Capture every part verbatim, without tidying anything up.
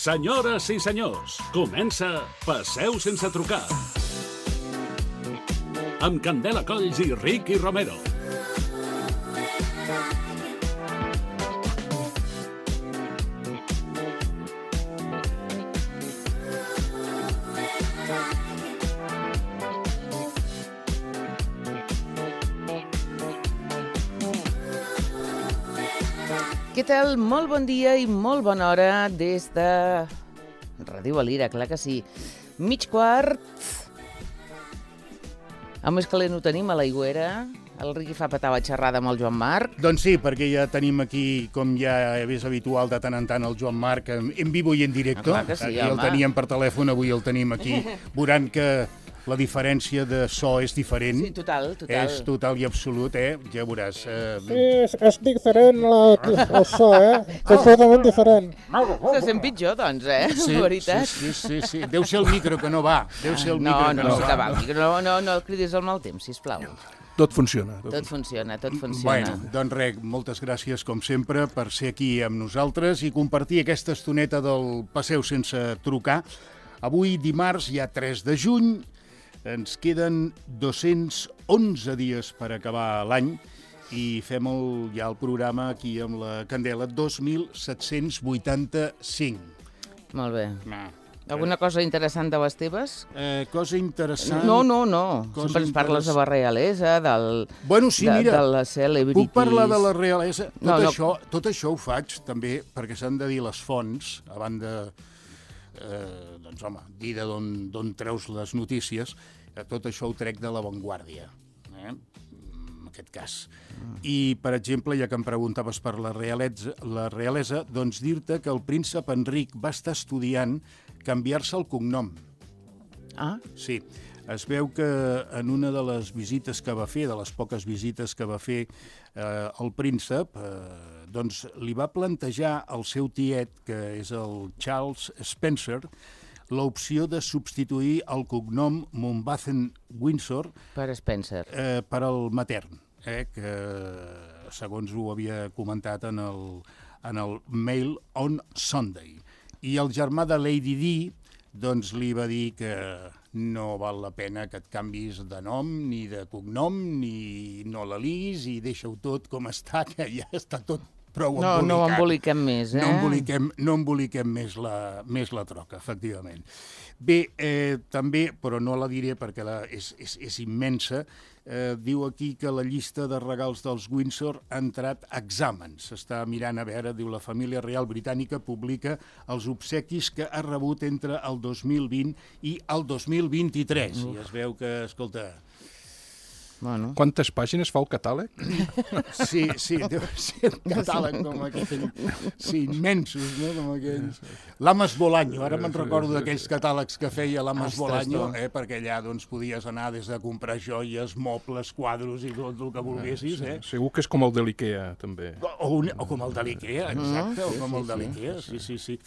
Senyores i senyors, comença Passeu sense trucar. Amb Candela Colls i Ricky Romero. Què tal? Molt bon dia i molt bona hora des de Ràdio Valira, clar que sí. Mig quart. A més calent ho tenim a l'Aigüera. El Riqui fa petar la xerrada amb el Joan Marc. Doncs sí, perquè ja tenim aquí, com ja és habitual de tant en tant, el Joan Marc en, en vivo i en directo. Ah, clar que sí, aquí el home. teníem per telèfon, avui el tenim aquí, veurant que la diferència de so és diferent. Sí, total, total. És total i absolut, eh? Ja veuràs. Eh... Sí, és, és diferent la, el so, eh? Completament diferent. Se sent pitjor, doncs, eh? Sí, La veritat. sí, sí, sí, sí. Deu ser el micro que no va. Deu ser el No, micro no, que no, sí va. que va. No, no, no el cridis al mal temps, sisplau. Tot funciona. Tot funciona, tot funciona. Bueno, doncs res, moltes gràcies, com sempre, per ser aquí amb nosaltres i compartir aquesta estoneta del Passeu sense trucar. Avui, dimarts, ja tres de juny, ens queden dos-cents onze dies per acabar l'any i fem el, ja el programa aquí amb la Candela dos mil set-cents vuitanta-cinc. Molt bé. Ah. Alguna cosa interessant de les teves? Eh, cosa interessant... No, no, no. Cosa Sempre ens parles de interess- la realesa, del, Bueno, sí, de, mira, de les celebrities. puc parlar de la realesa? Tot, No, no. Això, tot això ho faig també perquè s'han de dir les fonts, a banda, eh, doncs home, dir de d'on treus les notícies, eh, tot això ho trec de l'avantguàrdia, eh? En aquest cas. I, per exemple, ja que em preguntaves per la realesa, la realesa, doncs dir-te que el príncep Enric va estar estudiant canviar-se el cognom. Ah, Sí, es veu que en una de les visites que va fer, de les poques visites que va fer eh, el príncep, eh, doncs li va plantejar al seu tiet, que és el Charles Spencer, l'opció de substituir el cognom Mountbatten-Windsor per Spencer. eh, per al matern, eh, que segons ho havia comentat en el, en el Mail on Sunday. I el germà de Lady Di doncs li va dir que no val la pena que et canvis de nom ni de cognom, ni no la liguis i deixa-ho tot com està, que ja està tot prou No, embolicat. no ho emboliquem més, eh? No emboliquem, no emboliquem més, la, més la troca, efectivament. Bé, eh, també, però no la diré perquè la, és, és, és immensa, eh, diu aquí que la llista de regals dels Windsor ha entrat a exàmens. S'està mirant a veure, diu, la família real britànica publica els obsequis que ha rebut entre el dos mil vint i el dos mil vint-i-tres. I es veu que, escolta... Bueno. Quantes pàgines fa el catàleg? Sí, sí, deu ser un catàleg com aquell, sí, immensos, no?, com aquells. L'Amas Bolaño, ara me'n recordo d'aquells catàlegs que feia l'Amas Ostres, Bolaño, tu. eh, perquè allà doncs podies anar des de comprar joies, mobles, quadros i tot el que volguessis, eh? Segur que és com el de l'Ikea, també. O, un, o com el de l'Ikea, exacte, o com el de sí, l'Ikea, sí, sí, sí.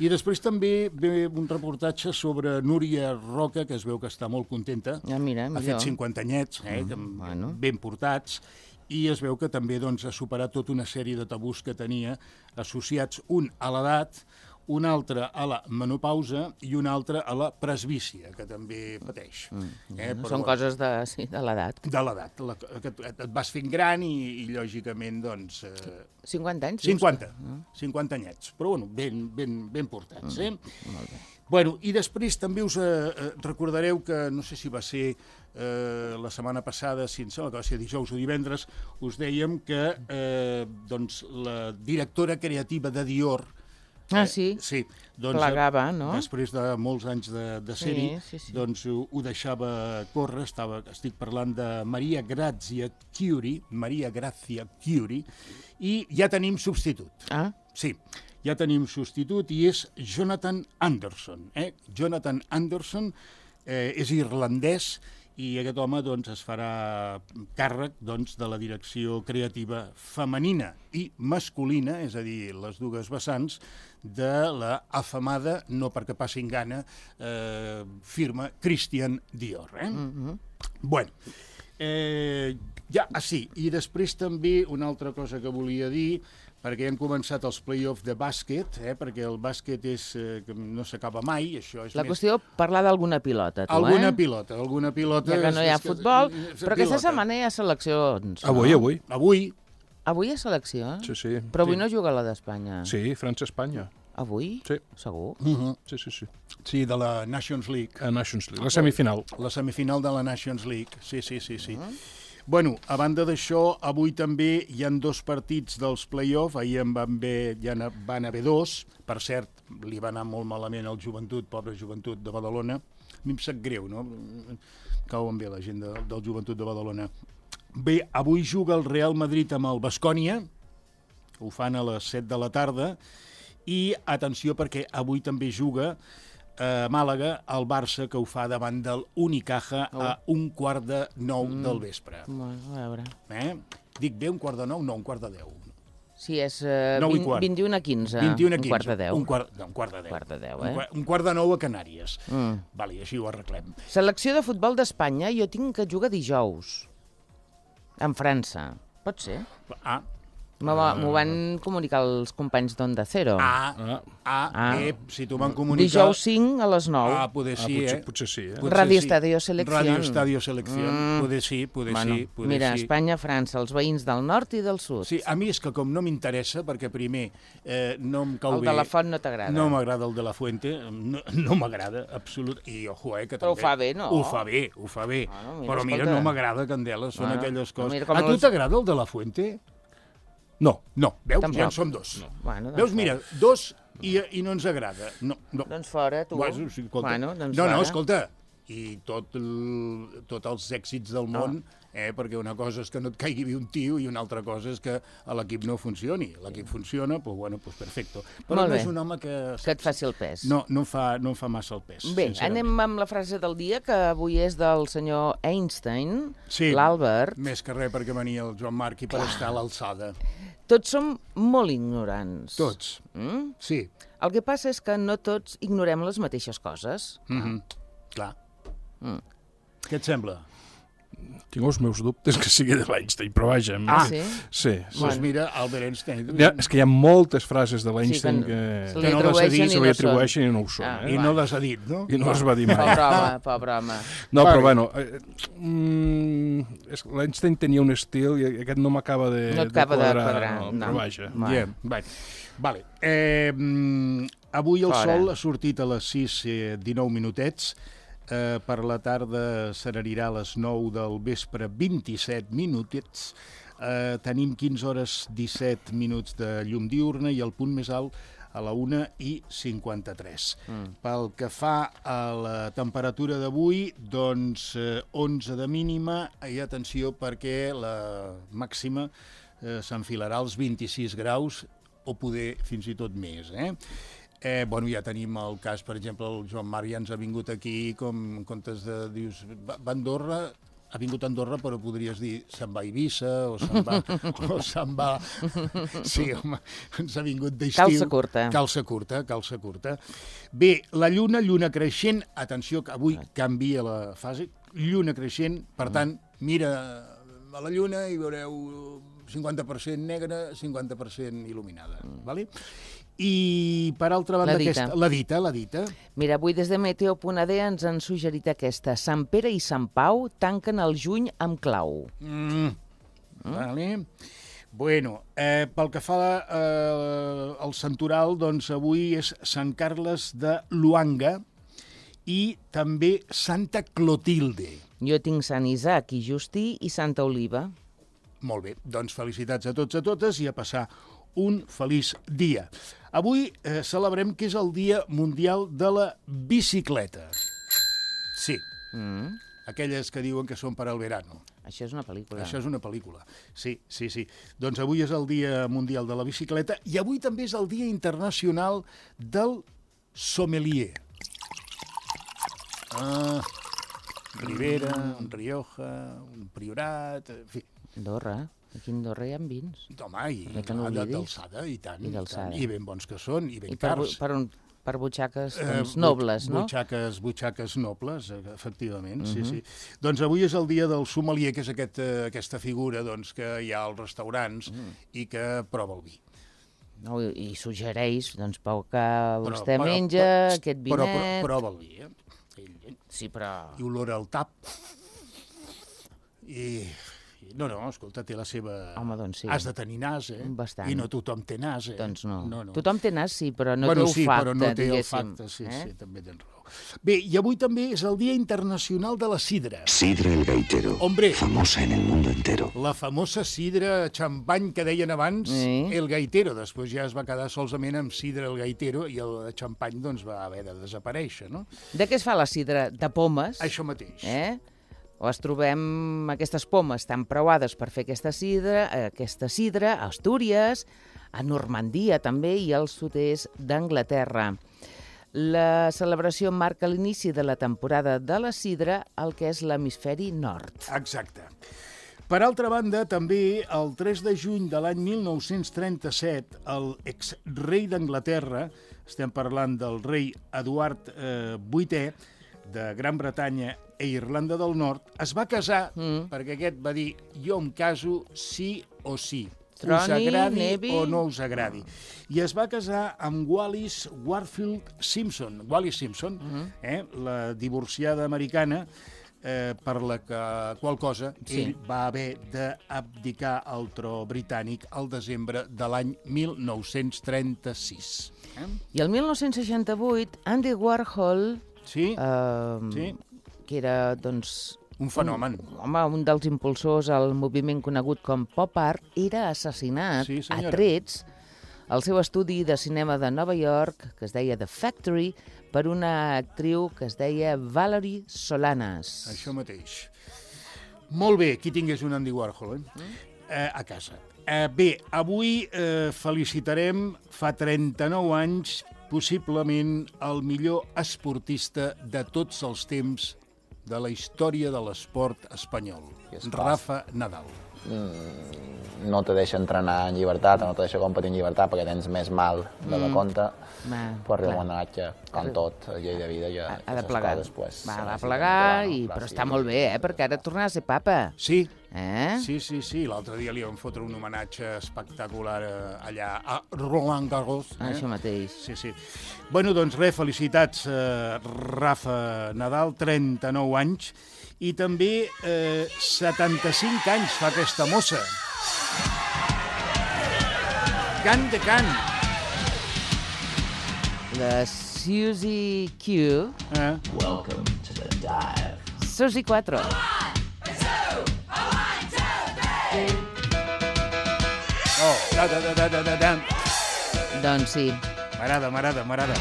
I després també ve un reportatge sobre Núria Roca, que es veu que està molt contenta. Ah, mira, Ha millor. fet cinquanta anyets, eh, que bueno. ben portats, i es veu que també doncs, ha superat tota una sèrie de tabús que tenia associats, un a l'edat, un altre a la menopausa i un altre a la presbícia, que també pateix. Mm. Eh, però, Són coses de, sí, de l'edat. de l'edat, la, que et, et vas fent gran i, i lògicament, doncs... Eh, cinquanta anys? dius? cinquanta, cinquanta anyets, però bueno, ben, ben, ben portats, eh? Molt bé. Bueno, i després també us eh, recordareu que, no sé si va ser eh, la setmana passada, si em sembla que va ser dijous o divendres, us dèiem que eh, doncs, la directora creativa de Dior, Ah, sí? sí, doncs, Plegava, no? després de molts anys de, de ser-hi, Sí, sí, sí. doncs ho, ho deixava córrer. Estava, estic parlant de Maria Grazia Chiuri, Maria Grazia Chiuri, i ja tenim substitut. Ah, Sí, ja tenim substitut i és Jonathan Anderson. Eh? Jonathan Anderson eh, és irlandès i aquest home doncs, es farà càrrec doncs, de la direcció creativa femenina i masculina, és a dir, les dues vessants, de la afamada, no perquè passin gana, eh, firma Christian Dior. Eh? mhm. Bueno, Eh, ja, ah, sí, i després també una altra cosa que volia dir, perquè han començat els play-off de bàsquet, eh, perquè el bàsquet és, eh, que no s'acaba mai, això és La més... qüestió, parlar d'alguna pilota, tu, Alguna eh? pilota, alguna pilota... Ja que no hi ha és- és futbol, és però aquesta pilota. setmana hi ha seleccions. Avui, no? avui. Avui, Avui hi ha selecció? Sí, sí. Però avui sí. no juga la d'Espanya. Sí, França-Espanya. Avui? Sí. Segur? uh -huh. Sí, sí, sí. sí, de la Nations League, A Nations League, la semifinal. la semifinal de la Nations League, sí, sí, sí, sí. Uh -huh. Bueno, a banda d'això, avui també hi han dos partits dels play-off, ahir en van haver, ja van haver dos, per cert, li va anar molt malament al Joventut, pobra Joventut de Badalona, a mi em sap greu, no? Cauen bé la gent de, del Joventut de Badalona. Bé, avui juga el Real Madrid amb el Baskonia, ho fan a les set de la tarda, i atenció perquè avui també juga a Màlaga el Barça, que ho fa davant del Unicaja Oh. a un quart de nou mm. del vespre. Bueno, a veure... Eh? Dic bé un quart de nou? No, un quart de deu. Sí, és uh, Nou i vint, quart. vint-i-u a quinze. vint-i-u a Un quinze. quart de deu. Un quart, no, un quart de deu. Quart de deu, Un eh? quart, un quart de nou a Canàries. Mm. Vale, i així ho arreglem. Selecció de futbol d'Espanya, jo tinc que jugar dijous. En França. Pot ser? Ah, M'ho va- m'ho van comunicar els companys d'Onda Cero. ah, Ah, ah, Ah. eh, si t'ho van comunicar... Dijous cinc a les nou. Ah, poder ah sí, potser, eh? potser sí, eh? Potser Radio sí. Estadio Selección. Radio Estadio Selección. Mm. Poder sí, poder bueno, sí, poder mira, sí. Espanya, França, els veïns del nord i del sud. Sí, a mi és que com no m'interessa, perquè primer eh, no em cau El bé... de la Font no t'agrada. No m'agrada el de la Fuente, no, no m'agrada, absolut. I ojo, eh, que Però ho també... fa bé, no? Ho fa bé, ho fa bé. Bueno, mira, Però mira, escolta. no m'agrada, Candela, són Bueno, aquelles coses... mira com A tu els- t'agrada el de la Fuente? No. No, veus? Tampoc. Ja en som dos. No. Bueno, doncs Veus, fora. mira, dos i, i no ens agrada. No, no. Doncs fora, tu. Bueno, sí, escolta. Bueno, doncs no, fora. no, escolta, i tot el, tots els èxits del món, eh, perquè una cosa és que no et caigui bé un tio i una altra cosa és que a l'equip no funcioni. L'equip funciona, doncs, bueno, doncs perfecto. Però Molt no bé. és un home que... Que et faci el pes. No, no em fa, no em fa massa el pes. Bé, sincerament. anem amb la frase del dia, que avui és del senyor Einstein, Sí, l'Albert. més que res perquè venia el Joan Marc i per estar a l'alçada. Tots som molt ignorants. Tots, Mm? sí. El que passa és que no tots ignorem les mateixes coses. Mm -hmm. Clar. Mm. Què et sembla? Tinc els meus dubtes que sigui de l'Einstein, però vaja... Ah, sí? Sí, sí. Doncs pues mira, Albert Einstein... Hi ha, és que hi ha moltes frases de l'Einstein Sí, que que, se que, li no les ha atribueixen dit, i se no li són. atribueixen i no ho són. Ah, eh? I va. no les ha dit, no? I no es va dir mai. Pobre home, pobre home. No, Vale. però bueno, eh, mm, és- l'Einstein tenia un estil i aquest no m'acaba de, No et acaba de quadrar. quadrar, no, no. Però vaja. Va. Yeah. Vale. Vale. Eh, mm, avui el Fora. sol ha sortit a les sis i dinou minutets. Eh, per la tarda s'anirà a les nou del vespre, vint-i-set minutets. Eh, tenim quinze hores disset minuts de llum diurna i el punt més alt a la una i cinquanta-tres. Mm. Pel que fa a la temperatura d'avui, doncs eh, onze de mínima i atenció perquè la màxima eh, s'enfilarà als vint-i-sis graus o poder fins i tot més, eh? Eh, bueno, ja tenim el cas, per exemple, el Joan Marc ja ens ha vingut aquí, com en comptes de, dius, va va a Andorra, ha vingut a Andorra, però podries dir se'n va a Eivissa o se'n va... o se'n va... Sí, home, ens ha vingut d'estiu. Calça curta. Calça curta, calça curta. Bé, la lluna, lluna creixent, atenció, que avui canvia la fase, lluna creixent, per tant, mira a la lluna i veureu cinquanta per cent negra, cinquanta per cent il·luminada, mm. vale? I, per altra banda, La dita. aquesta... La dita, la dita. Mira, avui des de Meteo punt a de ens han suggerit aquesta. Sant Pere i Sant Pau tanquen el juny amb clau. Mm. Mm. Vale. Bueno, eh, pel que fa eh, al santoral, doncs avui és Sant Carles de Luanga i també Santa Clotilde. Jo tinc Sant Isaac i Justí i Santa Oliva. Molt bé, doncs felicitats a tots i a totes i a passar un feliç dia. Avui eh, celebrem que és el Dia Mundial de la Bicicleta. Sí, Mm. aquelles que diuen que són per al verano. Això és una pel·lícula. Això és una pel·lícula. Sí, sí, sí. Doncs avui és el Dia Mundial de la Bicicleta i avui també és el Dia Internacional del Sommelier. Ah, Ribera, un Rioja, un Priorat, en fi. Andorra. Aquí a Andorra hi ha vins. Home, i Que no de- oblidis. d'alçada, i tant, I i, d'alçada. tant. I ben bons que són, i ben I per, cars. per, on, per butxaques Eh, doncs, but- nobles, no? Butxaques, butxaques nobles, eh, efectivament, sí, Mhm. sí. Doncs avui és el dia del sommelier, que és aquest, eh, aquesta figura doncs, que hi ha als restaurants Mm. i que prova el vi. No, i, i suggereix, doncs, pel que Però- vostè però- menja, però- aquest Però, però vinet... prova el vi, eh? Ell, Sí, però... i olora el tap. I... i- No, no, escolta, té la seva... Home, doncs sí. Has de tenir nas, eh? Bastant. I no tothom té nas, eh? Doncs no. no, no. Tothom té nas, sí, però no bueno, té sí, olfacte, però no té diguéssim. olfacte, sí, eh? sí, també tens raó. Bé, i avui també és el Dia Internacional de la Sidra. Sidra El Gaitero. Hombre. Famosa en el mundo entero. La famosa sidra xampany que deien abans, Sí. el gaitero. Després ja es va quedar solament amb sidra el gaitero i el xampany doncs, va haver de desaparèixer, no? De què es fa la sidra? De pomes. Això mateix. Eh? O es trobem aquestes pomes tan preuades per fer aquesta sidra, aquesta sidra a Astúries, a Normandia també i al sud-est d'Anglaterra. La celebració marca l'inici de la temporada de la sidra al que és l'hemisferi nord. Exacte. Per altra banda, també el tres de juny de l'any mil nou-cents trenta-set, el ex-rei d'Anglaterra, estem parlant del rei Eduard eh, vuitè, de Gran Bretanya i Irlanda del Nord, es va casar Mm. perquè aquest va dir jo em caso sí o sí. Us Troni, agradi nevi. o no us agradi. I es va casar amb Wallis Warfield Simpson, Wallis Simpson, Mm-hmm. eh, la divorciada americana, eh, per la que, qual cosa Sí. ell va haver d'abdicar al tro britànic al desembre de l'any mil nou-cents trenta-sis. Eh? I el mil nou-cents seixanta-vuit, Andy Warhol, Sí? eh, Sí. que era, doncs, Un fenomen. Un, home, un dels impulsors al moviment conegut com pop art, era assassinat Sí, a senyora. trets al seu estudi de cinema de Nova York, que es deia The Factory, per una actriu que es deia Valerie Solanas. Això mateix. Molt bé, qui tingués un Andy Warhol, eh? Eh, a casa. Eh, bé, avui eh, felicitarem fa trenta-nou anys possiblement el millor esportista de tots els temps de la història de l'esport espanyol, I és clar. Rafa Nadal. No te deixa entrenar en llibertat, no te deixa competir en llibertat perquè tens més mal de la compte, Va, però arriba clar. un moment que, com tot, a llei de vida, ja Ha, ha de aquestes plegar. coses, pues, Va, se va necessiten plegar, controlar, i, Clar, però sí. està molt bé, eh? Perquè ara tornarà a ser papa. Sí, Eh? sí, sí, sí. L'altre dia li vam fotre un homenatge espectacular eh, allà a Roland Garros. Eh? Això mateix. Sí, sí. Bueno, doncs res, felicitats, eh, Rafa Nadal, trenta-nou anys, i també eh, setanta-cinc anys fa aquesta mossa. Cant de cant. La Suzy Q. Eh? Suzy quatre. Oh, da, da, da, da, da, da, da. Doncs sí. M'agrada, m'agrada, m'agrada.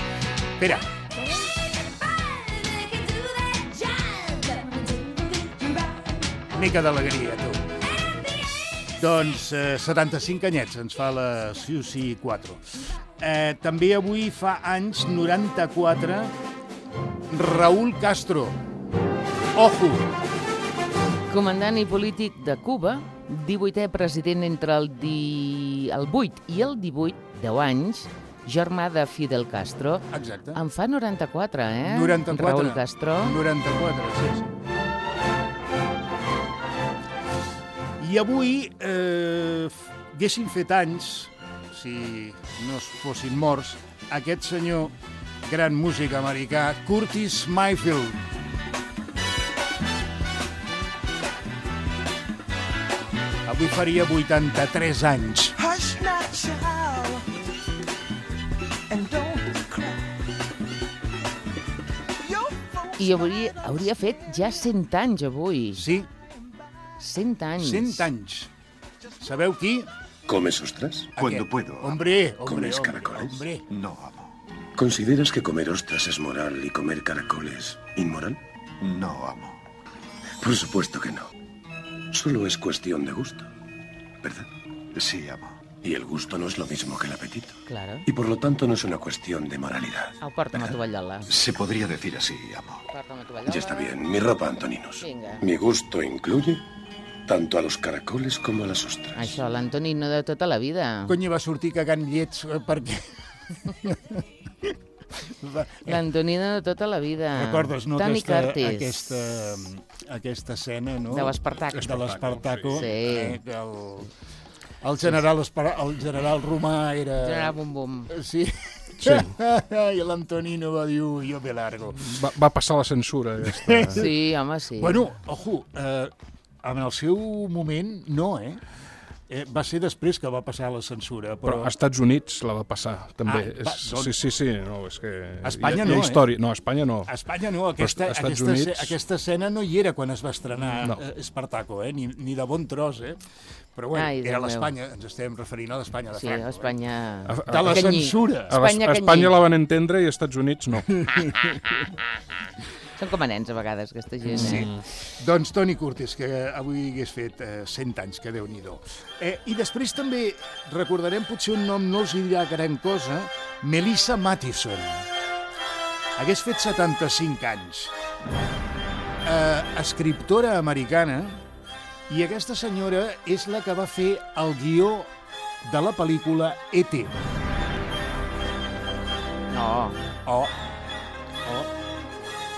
Espera. Mica d'alegria, tu. Doncs eh, setanta-cinc anyets ens fa la Suzy quatre. Eh, també avui fa anys, noranta-quatre, Raúl Castro. Ojo! Comandant i polític de Cuba, divuitè president entre el, di... el vuit i el divuit, deu anys, germà de Fidel Castro. Exacte. En fa noranta-quatre, eh? noranta-quatre. Raúl Castro. noranta-quatre, sí, sí. I avui eh, f- haguessin fet anys, si no es fossin morts, aquest senyor, gran músic americà, Curtis Mayfield. Avui faria vuitanta-tres anys. Hush now, child, and don't cry. Your folks I hauria, hauria fet ja cent anys avui. Sí, cent anys. cent anys. Sabeu qui? ¿Comes ostras? Cuando Aquest. puedo. Hombre, hombre, ¿Comes hombre, caracoles? hombre. No, amo. ¿Consideras que comer ostras es moral y comer caracoles inmoral? No, amo. Por supuesto que no. Solo es cuestión de gusto, ¿verdad? Sí, amo. Y el gusto no es lo mismo que el apetito. Claro. Y por lo tanto no es una cuestión de moralidad. Au, porta'm a tovallola. Se podría decir así, amo. Porta'm a tovallola. Ya está bien. Mi ropa, Antoninos. Venga. Mi gusto incluye tanto a los caracoles como a las ostras. Això, l'Antonino de tota la vida. Cony, va sortir cagant llets eh, perquè... L'Antonino de tota la vida. Recordes, no, Toni aquesta, Curtis. aquesta, aquesta escena, no? De l'Espartaco. De l'Espartaco. Sí. Eh, que el, el, general, Espar- el general romà era... General Bum Bum. Sí. Sí. I l'Antonino va dir, "Ui, jo me largo". Va, va passar la censura, aquesta. Sí, home, sí. Bueno, ojo, eh, en el seu moment, no, eh? eh? Va ser després que va passar la censura, però... Però als Estats Units la va passar, també. Ah, va, és, doncs- sí, sí, sí, no, és que... A Espanya hi ha, hi no, ha història. eh? No, a Espanya no. A Espanya no, aquesta, Però als Estats aquesta, Units- aquesta escena no hi era quan es va estrenar No. eh, Espartaco, eh? ni, ni de bon tros, eh? Però bueno, Ai, era Déu meu. l'Espanya, ens estem referint a l'Espanya de Sí, Franco. Espanya... A- Eh? De la Canyí. censura. A, l'Es- Espanya a Espanya canyí. la van entendre i als Estats Units no. Són com a nens, a vegades, aquesta gent. Sí. Eh? Doncs Toni Curtis, que avui hagués fet eh, cent anys, que Déu-n'hi-do. Eh, I després també recordarem potser un nom, no els dirà gran cosa, Melissa Mathison. Hagués fet setanta-cinc anys. Eh, escriptora americana, i aquesta senyora és la que va fer el guió de la pel·lícula E T. No, Oh,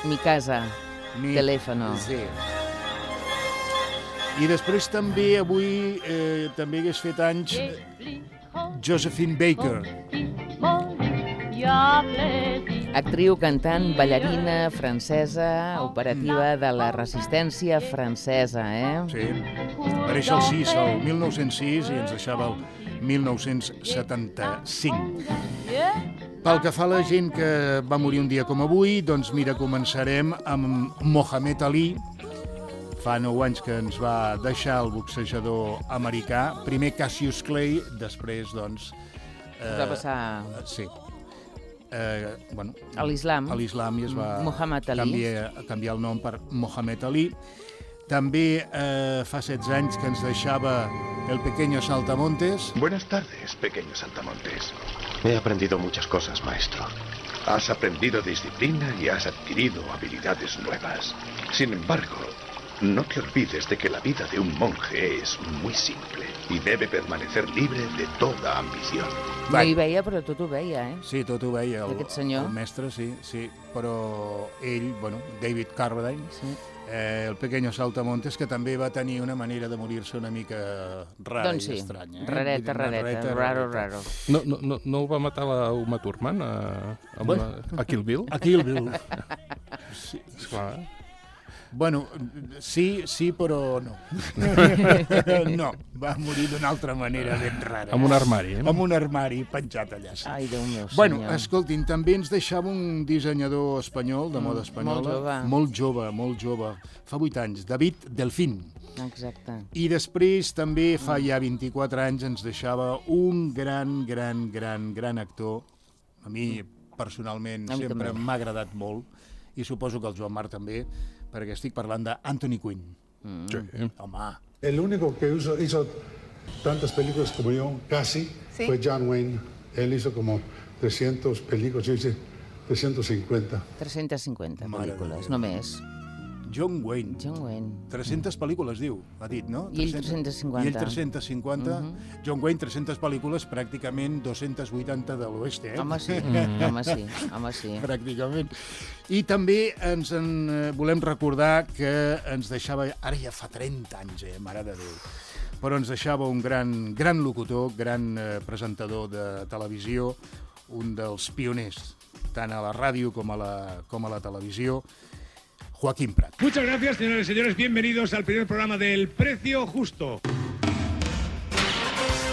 mi casa, mi... teléfono. Sí. I després també avui eh, també hagués fet anys Josephine Baker. Actriu, cantant, ballarina francesa, operativa de la resistència francesa, eh? Sí. Va néixer el sis, el mil nou-cents sis, i ens deixava el mil nou-cents setanta-cinc. Pel que fa a la gent que va morir un dia com avui, doncs mira, començarem amb Mohamed Ali. Fa nou anys que ens va deixar el boxejador americà. Primer Cassius Clay, després, doncs... Es va passar Sí. Eh, bueno, a l'islam. a l'islam i es va Muhammad Ali. canviar, canviar el nom per Mohamed Ali. També eh, fa setze anys que ens deixava el pequeño Saltamontes. Buenas tardes, pequeño Saltamontes. He aprendido muchas cosas, maestro. Has aprendido disciplina y has adquirido habilidades nuevas. Sin embargo, no te olvides de que la vida de un monje es muy simple y debe permanecer libre de toda ambición. No hi veia, però tot ho veia, eh? Sí, tot ho veia, el, Aquest senyor. el mestre, sí, sí. Però ell, bueno, David Carradine, Sí. eh, el pequeño Saltamontes, que també va tenir una manera de morir-se una mica rara Doncs sí, i estranya. Eh? rareta, Vull dir, una rareta, raro, rareta. raro. No, no, no, no el va matar la Uma Thurman a, a, Bueno. una, a Kill Bill? A Kill Bill. Sí. Esclar. Bueno, sí, sí, però no. No, va morir d'una altra manera ben rara. Amb un armari, eh? Amb un armari penjat allà. Sí. Ai, Déu meu, Bueno, senyor. escoltin, també ens deixava un dissenyador espanyol, de moda espanyola. molt jove. Molt jove, molt jove. Fa vuit anys, David Delfín. Exacte. I després, també, fa ja vint-i-quatre anys, ens deixava un gran, gran, gran, gran actor. A mi, personalment, A mi sempre també. m'ha agradat molt. I suposo que el Joan Marc també, perquè estic parlant d'Anthony Quinn. Sí. Home, El único que hizo, hizo tantas películas como yo, casi, ¿Sí? fue John Wayne. Él hizo como trescientas películas, yo hice trescientas cincuenta. tres-centes cinquanta Mare de pel·lícules, Déu. només. John Wayne. John Wayne. tres-centes pel·lícules, diu, ha dit, no? I ell tres-centes cinquanta. I ell tres-centes cinquanta. Mhm. John Wayne, tres-centes pel·lícules, pràcticament dos-centes vuitanta de l'oest, eh? Home, sí, Mm. home, sí, home, sí. Pràcticament. I també ens en eh, volem recordar que ens deixava, ara ja fa trenta anys, eh, mare de Déu, però ens deixava un gran, gran locutor, gran eh, presentador de televisió, un dels pioners, tant a la ràdio com a la, com a la televisió, Joaquín Prat. Muchas gracias, señores y señores. Bienvenidos al primer programa del Precio Justo.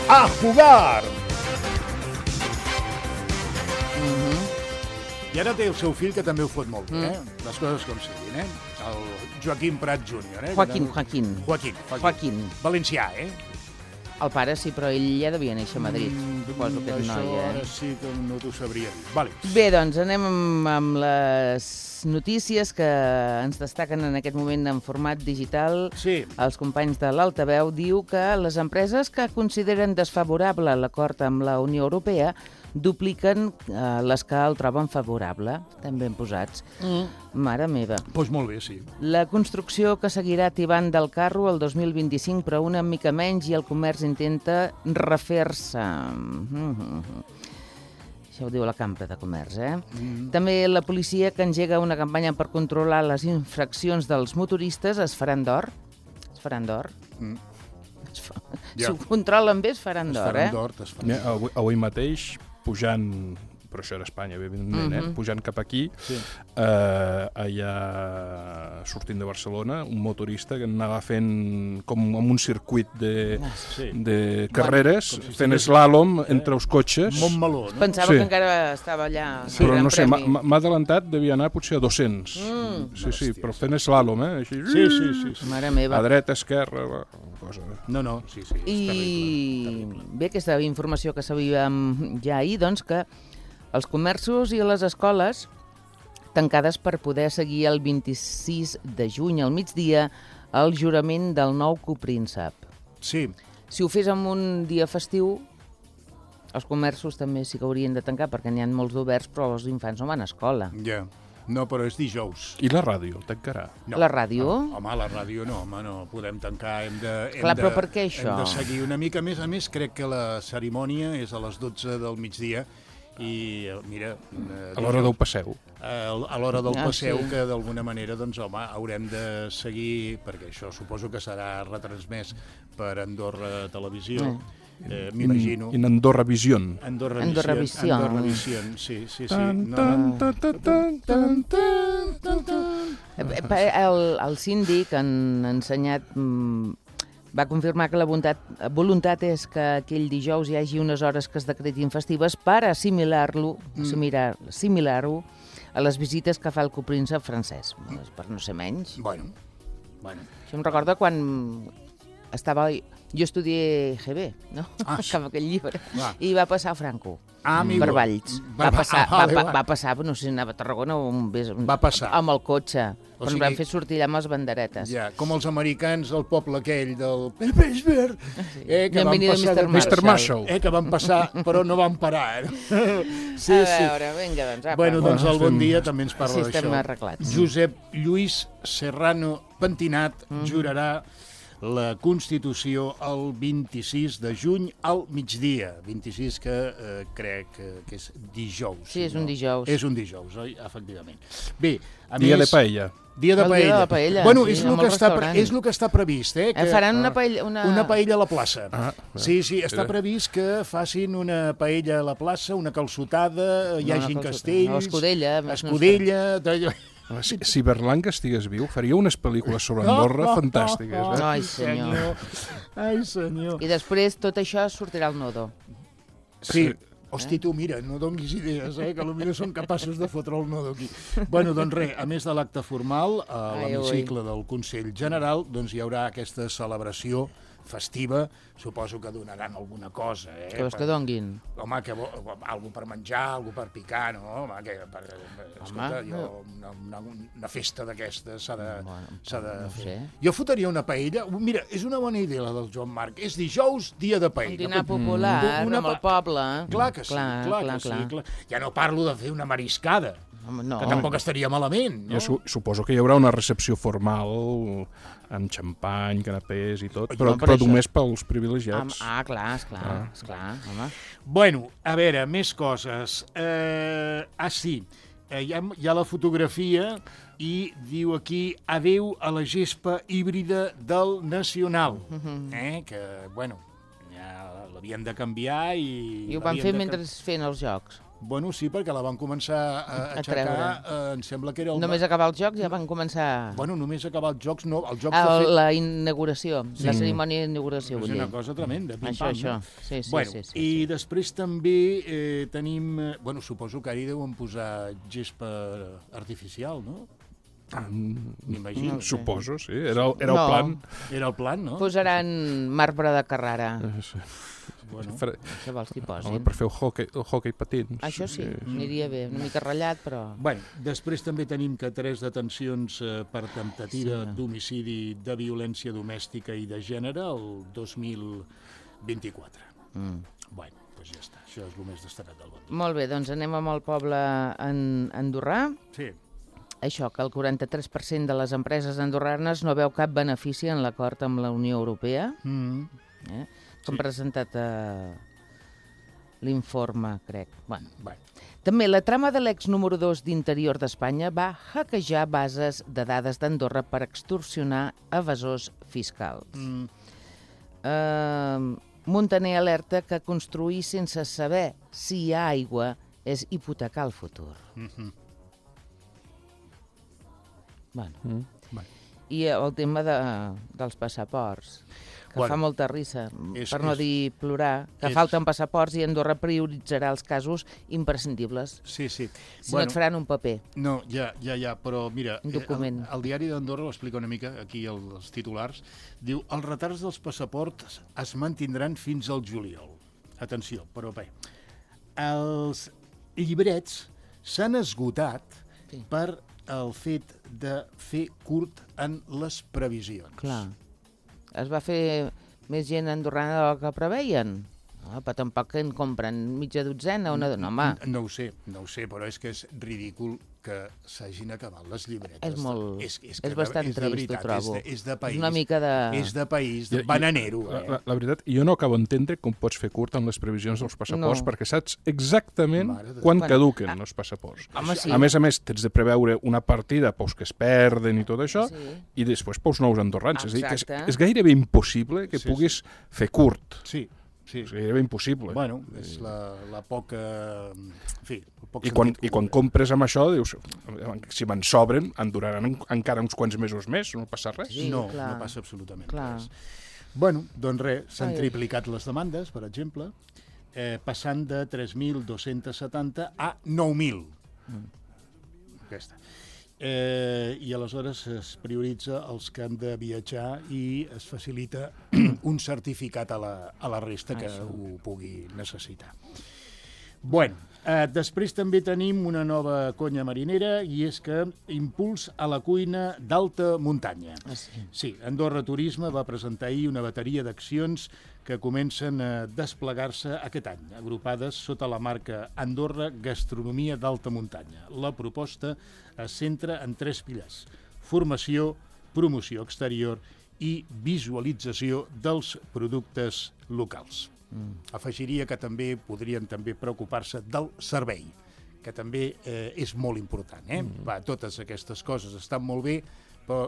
¡A jugar! I ara té el seu fill, que també ho fot molt bé, eh? Les coses com siguin, eh? El Joaquim Prat júnior, eh? Joaquín, Joaquín. Joaquín. Joaquín. Valencià, eh? El pare sí, però ell ja devia néixer a Madrid, suposo, aquest Això noi, ara eh? sí que no t'ho sabria dir. Vale. Bé, doncs anem amb, amb les notícies que ens destaquen en aquest moment en format digital. Sí. Els companys de l'Altaveu diu que les empreses que consideren desfavorable l'acord amb la Unió Europea dupliquen eh, les que el troben favorable. Estan ben posats. Mm. Mare meva. Doncs pues molt bé, sí. La construcció que seguirà tibant del carro el dos mil vint-i-cinc, però una mica menys, i el comerç intenta refer-se. Això ho diu la Cambra de Comerç, eh? Mm. També la policia, que engega una campanya per controlar les infraccions dels motoristes, es faran d'or. Es faran d'or. Mm. Es fa... Ja. Si ho controlen bé, es faran Es d'or, faran eh? d'or, es faran Ja, avui, avui mateix, pujant, però això era Espanya, evidentment, eh? Mhm. Pujant cap aquí, Sí. eh, allà sortint de Barcelona, un motorista que anava fent com amb un circuit de, Sí. de carreres, Com si fent estigués- slàlom entre els cotxes. Montmeló, no? Pensava Sí. que encara estava allà. Sí, però al no sé, Gran m'ha Premi. m'ha- m'ha adelantat, devia anar potser a dos-cents. Mm. Sí, sí, però fent slàlom, eh? Així, Sí, sí, sí. sí. Mare meva. a dreta, esquerra, va, cosa... No, no, sí, sí, és I terrible, terrible. bé, aquesta informació que sabíem ja ahir, doncs que els comerços i les escoles tancades per poder seguir el vint-i-sis de juny al migdia el jurament del nou copríncep. Sí. Si ho fes en un dia festiu, els comerços també sí que haurien de tancar perquè n'hi ha molts d'oberts, però els infants no van a escola. Ja. No, però és dijous. I la ràdio, tancarà? No. La ràdio? Home, la ràdio no, home, no podem tancar, hem de... Hem Clar, de, però per què això? Hem de seguir una mica més. A més, crec que la cerimònia és a les dotze del migdia i, eh, mira... Eh, A l'hora del passeu. A, a l'hora del Ah, passeu, sí. que d'alguna manera, doncs, home, haurem de seguir, perquè això suposo que serà retransmès per Andorra Televisió, Eh. eh, m'imagino. In Andorra Vision. Andorra Andorra Vision. Vision. Andorra Vision, sí, sí, sí. Tan, No, tan, no. tan, tan, tan, tan, tan, tan, tan. Eh, eh, El, el síndic han ensenyat, mm, va confirmar que la voluntat, voluntat és que aquell dijous hi hagi unes hores que es decretin festives per assimilar-lo, Mm. assimilar, assimilar-ho a les visites que fa el copríncep francès, per no ser menys. Bueno, bueno. Això em recorda quan estava... Jo estudié G B, no? Ah, Amb aquell llibre. Va. I va passar Franco. Ah, amigo. Per Valls. Va- Va passar, ah, vale, va, va. va passar, no sé, anava a Tarragona o un, Va passar. amb el cotxe. O Però sigui- ens van fer sortir allà amb les banderetes. Ja, com els americans del poble aquell del Pittsburgh, eh, que van Bienvenido, passar... mister de- mister Marshall. Eh, que van passar, però no van parar. Eh? Sí, a sí. veure, vinga, doncs, apa. Bueno, doncs el bon estem- dia també ens parla Sí, d'això. estem arreglats. Josep Lluís Serrano Pentinat Mhm. jurarà la Constitució el vint-i-sis de juny al migdia. vint-i-sis que eh, crec que, que és dijous. Sí, és no? un dijous. És un dijous, oi? Efectivament. Bé, a Dia més... de paella. Dia de El dia paella. de la paella, Bueno, sí, és, a el que molts està, pre- restaurants. és el que està previst, eh? Que, Eh, faran una paella... Una... una paella a la plaça. Ah, sí, sí, està Era. previst que facin una paella a la plaça, una calçotada, hi No, una hagin calçotada, castells... no, escudella, més no Escudella... No, Si, si Berlanga estigués viu, faria unes pel·lícules sobre Andorra fantàstiques. Eh? Ai, senyor. Ai, senyor. I després tot això sortirà al nodo. Sí. Hosti, tu, mira, no donguis idees, eh, que potser són capaços de fotre el nodo aquí. Bueno, doncs res, a més de l'acte formal, a Ai, l'hemicicle del Consell General, doncs hi haurà aquesta celebració festiva, suposo que donaran alguna cosa, eh? Que vols que donguin? Home, que vo- algú per menjar, algú per picar, no? Home, que per, escolta, Home, jo, una, una, una festa d'aquestes s'ha de, Bueno, s'ha de no ho fer. sé. Jo fotria una paella, mira, és una bona idea la del Joan Marc, és dijous, dia de Un paella. dinar popular, Mm. Una amb el pa- poble. Clar que sí, clar, clar, que clar. sí. Clar. Ja no parlo de fer una mariscada, Home, no. que tampoc estaria malament, no? Jo su suposo que hi haurà una recepció formal amb xampany, canapés i tot, Oi, però, no, per però això. només pels Am- privilegiats. Ah, clar, esclar, Ah. esclar, home. Bueno, a veure, més coses. Eh, ah, sí, eh, hi, ha, hi ha la fotografia i diu aquí adeu a la gespa híbrida del Nacional, eh, que, bueno, ja l'havien de canviar i... I ho van l'havien fer de mentre can- feien els jocs. Bueno, sí, perquè la van començar a, A aixecar, treure. eh, em sembla que era el... Només acabar els jocs ja van començar... Bueno, només acabar els jocs, no, els jocs Ah, de fet... la inauguració, la cerimònia d'inauguració, És vull dir. una cosa tremenda, pim Això, pam, això. no? Sí, sí, bueno, sí, sí, I sí. després també eh, tenim... eh, Bueno, suposo que ara hi deuen posar gespa artificial, no? M'imagino. No sé. Suposo, sí. Era, el- era el No. plan. Era el plan, no? Posaran marbre de Carrara. Eh, sí. Bueno, Fre- Això vols que hi Home, posin. per fer el hockey, el hockey patins. Això sí, aniria bé. Una mica ratllat, però... Bueno, després també tenim que tres detencions eh, per temptativa Sí. d'homicidi de violència domèstica i de gènere el dos mil vint-i-quatre. Mm. Bueno, doncs ja està. Això és el més destacat del bon dia. Molt bé, doncs anem amb el poble en andorrà. Sí. Això, que el quaranta-tres per cent de les empreses andorranes no veu cap benefici en l'acord amb la Unió Europea. Mm. Eh? Que han presentat a, l'informe, crec. Bueno. Bé. També la trama de l'ex número dos d'Interior d'Espanya va hackejar bases de dades d'Andorra per extorsionar evasors fiscals. Mm. Uh, Montaner alerta que construir sense saber si hi ha aigua és hipotecar el futur. Mm-hmm. Bueno. Mm. Bueno. I el tema de, dels passaports, que Bueno, fa molta risa, és- per no és- dir plorar, que és- falten passaports i Andorra prioritzarà els casos imprescindibles. Sí, sí. Si no et faran un paper. No, ja, ja, ja, però mira, Un eh, document. el, el diari d'Andorra ho explica una mica, aquí el, els titulars, diu, els retards dels passaports es mantindran fins al juliol. Atenció, però bé, els llibrets s'han esgotat Sí. per el fet de fer curt en les previsions. Clar. Es va fer més gent andorrana del que preveien. Ah, però tampoc en compren mitja dotzena, una... No, home, No ho sé, no ho sé, però és que és ridícul que s'hagin acabat les llibretes. és molt... És, és, és, que bastant és de trist, veritat, ho trobo. És de, és de país. És una mica de... És de país, Jo- de jo- bananero. La, Eh? la, la veritat, jo no acabo d'entendre com pots fer curt amb les previsions dels passaports, No. perquè saps exactament Mare de quan Déu. caduquen Bueno, els passaports. Home, sí. A més a més, tens de preveure una partida pels que es perden i tot això, Sí. i després pels nous andorrans. És, a dir, que és, Exacte. és gairebé impossible que Sí, puguis fer curt. Sí, sí. És gairebé impossible. Bueno, és la, la poca... En fi, el poc I quan, sentit I quan comú. compres amb això, dius, si me'n sobren, en duraran en, encara uns quants mesos més, no passa res. Sí, no, clar. no passa absolutament Clar. res. Bueno, doncs res, s'han Ai. triplicat les demandes, per exemple, eh, passant de tres mil dos-cents setanta a nou mil. Mm. Aquesta. Eh, I aleshores es prioritza els que han de viatjar i es facilita un certificat a la, a la resta que Això. ho pugui necessitar. Bueno, eh, després també tenim una nova conya marinera i és que impuls a la cuina d'alta muntanya. Ah, sí. Sí, Andorra Turisme va presentar ahir una bateria d'accions que comencen a desplegar-se aquest any, agrupades sota la marca Andorra Gastronomia d'Alta Muntanya. La proposta es centra en tres pilars: formació, promoció exterior i visualització dels productes locals. Mm. Afegiria que també podrien també preocupar-se del servei, que també eh, és molt important. Eh? Mm. Va, totes aquestes coses estan molt bé, però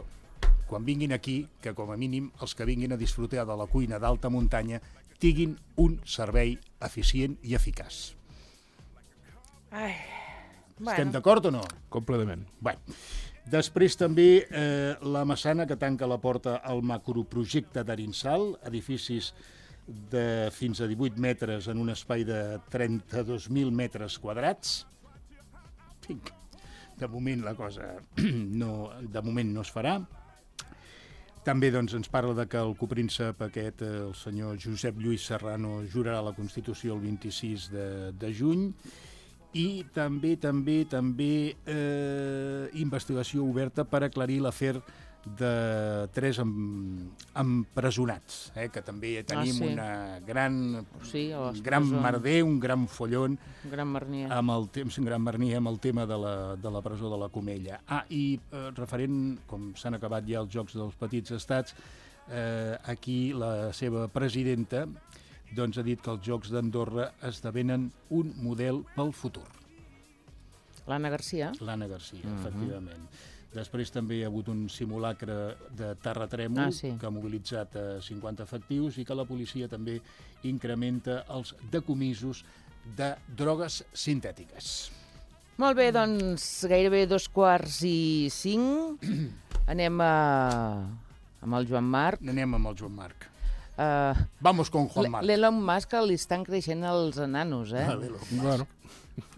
quan vinguin aquí, que com a mínim els que vinguin a disfrutar de la cuina d'alta muntanya tinguin un servei eficient i eficaç. Ai, Estem d'acord o no? Completament. Bé, després també eh, la Massana, que tanca la porta al macroprojecte d'Arinsal, edificis de fins a divuit metres en un espai de trenta-dos mil metres quadrats. Vinga, de moment la cosa no, de moment no es farà. També doncs, ens parla de que el copríncep aquest, el senyor Josep Lluís Serrano, jurarà la Constitució el vint-i-sis de, de juny. I també, també, també eh, investigació oberta per aclarir l'afer de tres em, empresonats, eh, que també tenim Ah, sí. una gran, Sí, a les un gran presons. merder, un gran follon Gran Marnier. amb el temps, un gran mernier amb el tema de la, de la presó de la Comella. Ah, i eh, referent, com s'han acabat ja els Jocs dels Petits Estats, eh, aquí la seva presidenta doncs, ha dit que els Jocs d'Andorra esdevenen un model pel futur. L'Anna Garcia. L'Anna Garcia, Mhm. efectivament. Després també hi ha hagut un simulacre de terratrèmol Ah, sí. que ha mobilitzat eh, cinquanta efectius i que la policia també incrementa els decomisos de drogues sintètiques. Molt bé, doncs gairebé dos quarts i cinc. Anem a... amb el Joan Marc. Anem amb el Joan Marc. Uh, Vamos con Juan Marc. L'Elon Musk li estan creixent els enanos, eh? Ah, l'Elon Musk. Bueno,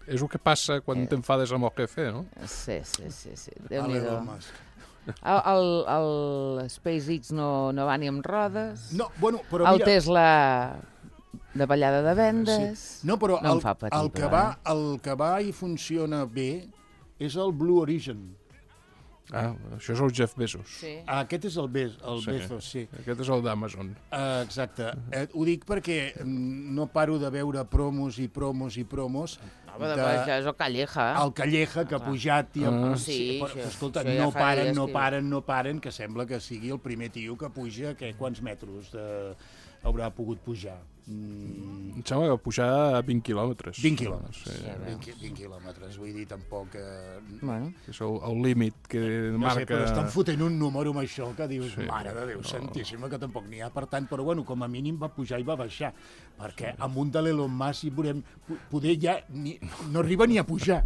és el que passa quan Eh. t'enfades amb el jefe, no? Sí, sí, sí, sí. Ah, Déu-n'hi-do. l'Elon Musk. El, el, el SpaceX no, no va ni amb rodes. No, bueno, però el mira... Tesla de ballada de vendes. Sí. No, però no el, em fa patir, el, que però, va, eh? el que va i funciona bé és el Blue Origin. Ah, això és el Jeff Bezos. Sí. Ah, aquest és el, Be el Sí. Bezos, sí. Aquest és el d'Amazon. Uh, exacte. Eh, ho dic perquè mm, no paro de veure promos i promos i promos No, però de... això és el Calleja. el Calleja que ha pujat i... Ah. Sí, però, això- escolta, això ja no fa paren, dies no que- paren, no paren, que sembla que sigui el primer tio que puja que, quants metres de, haurà pogut pujar? Mm. Em sembla que pujar a vint quilòmetres. vint quilòmetres, sí. vint, vint quilòmetres, vull dir, tampoc... Eh... Bueno. És el, el límit que no marca... sé, però estan fotent un número amb això que dius, sí, mare de Déu, no. santíssima, que tampoc n'hi ha, per tant, però bueno, com a mínim va pujar i va baixar, perquè amunt de l'Elon Musk hi veurem, poder ja ni, no arriba ni a pujar.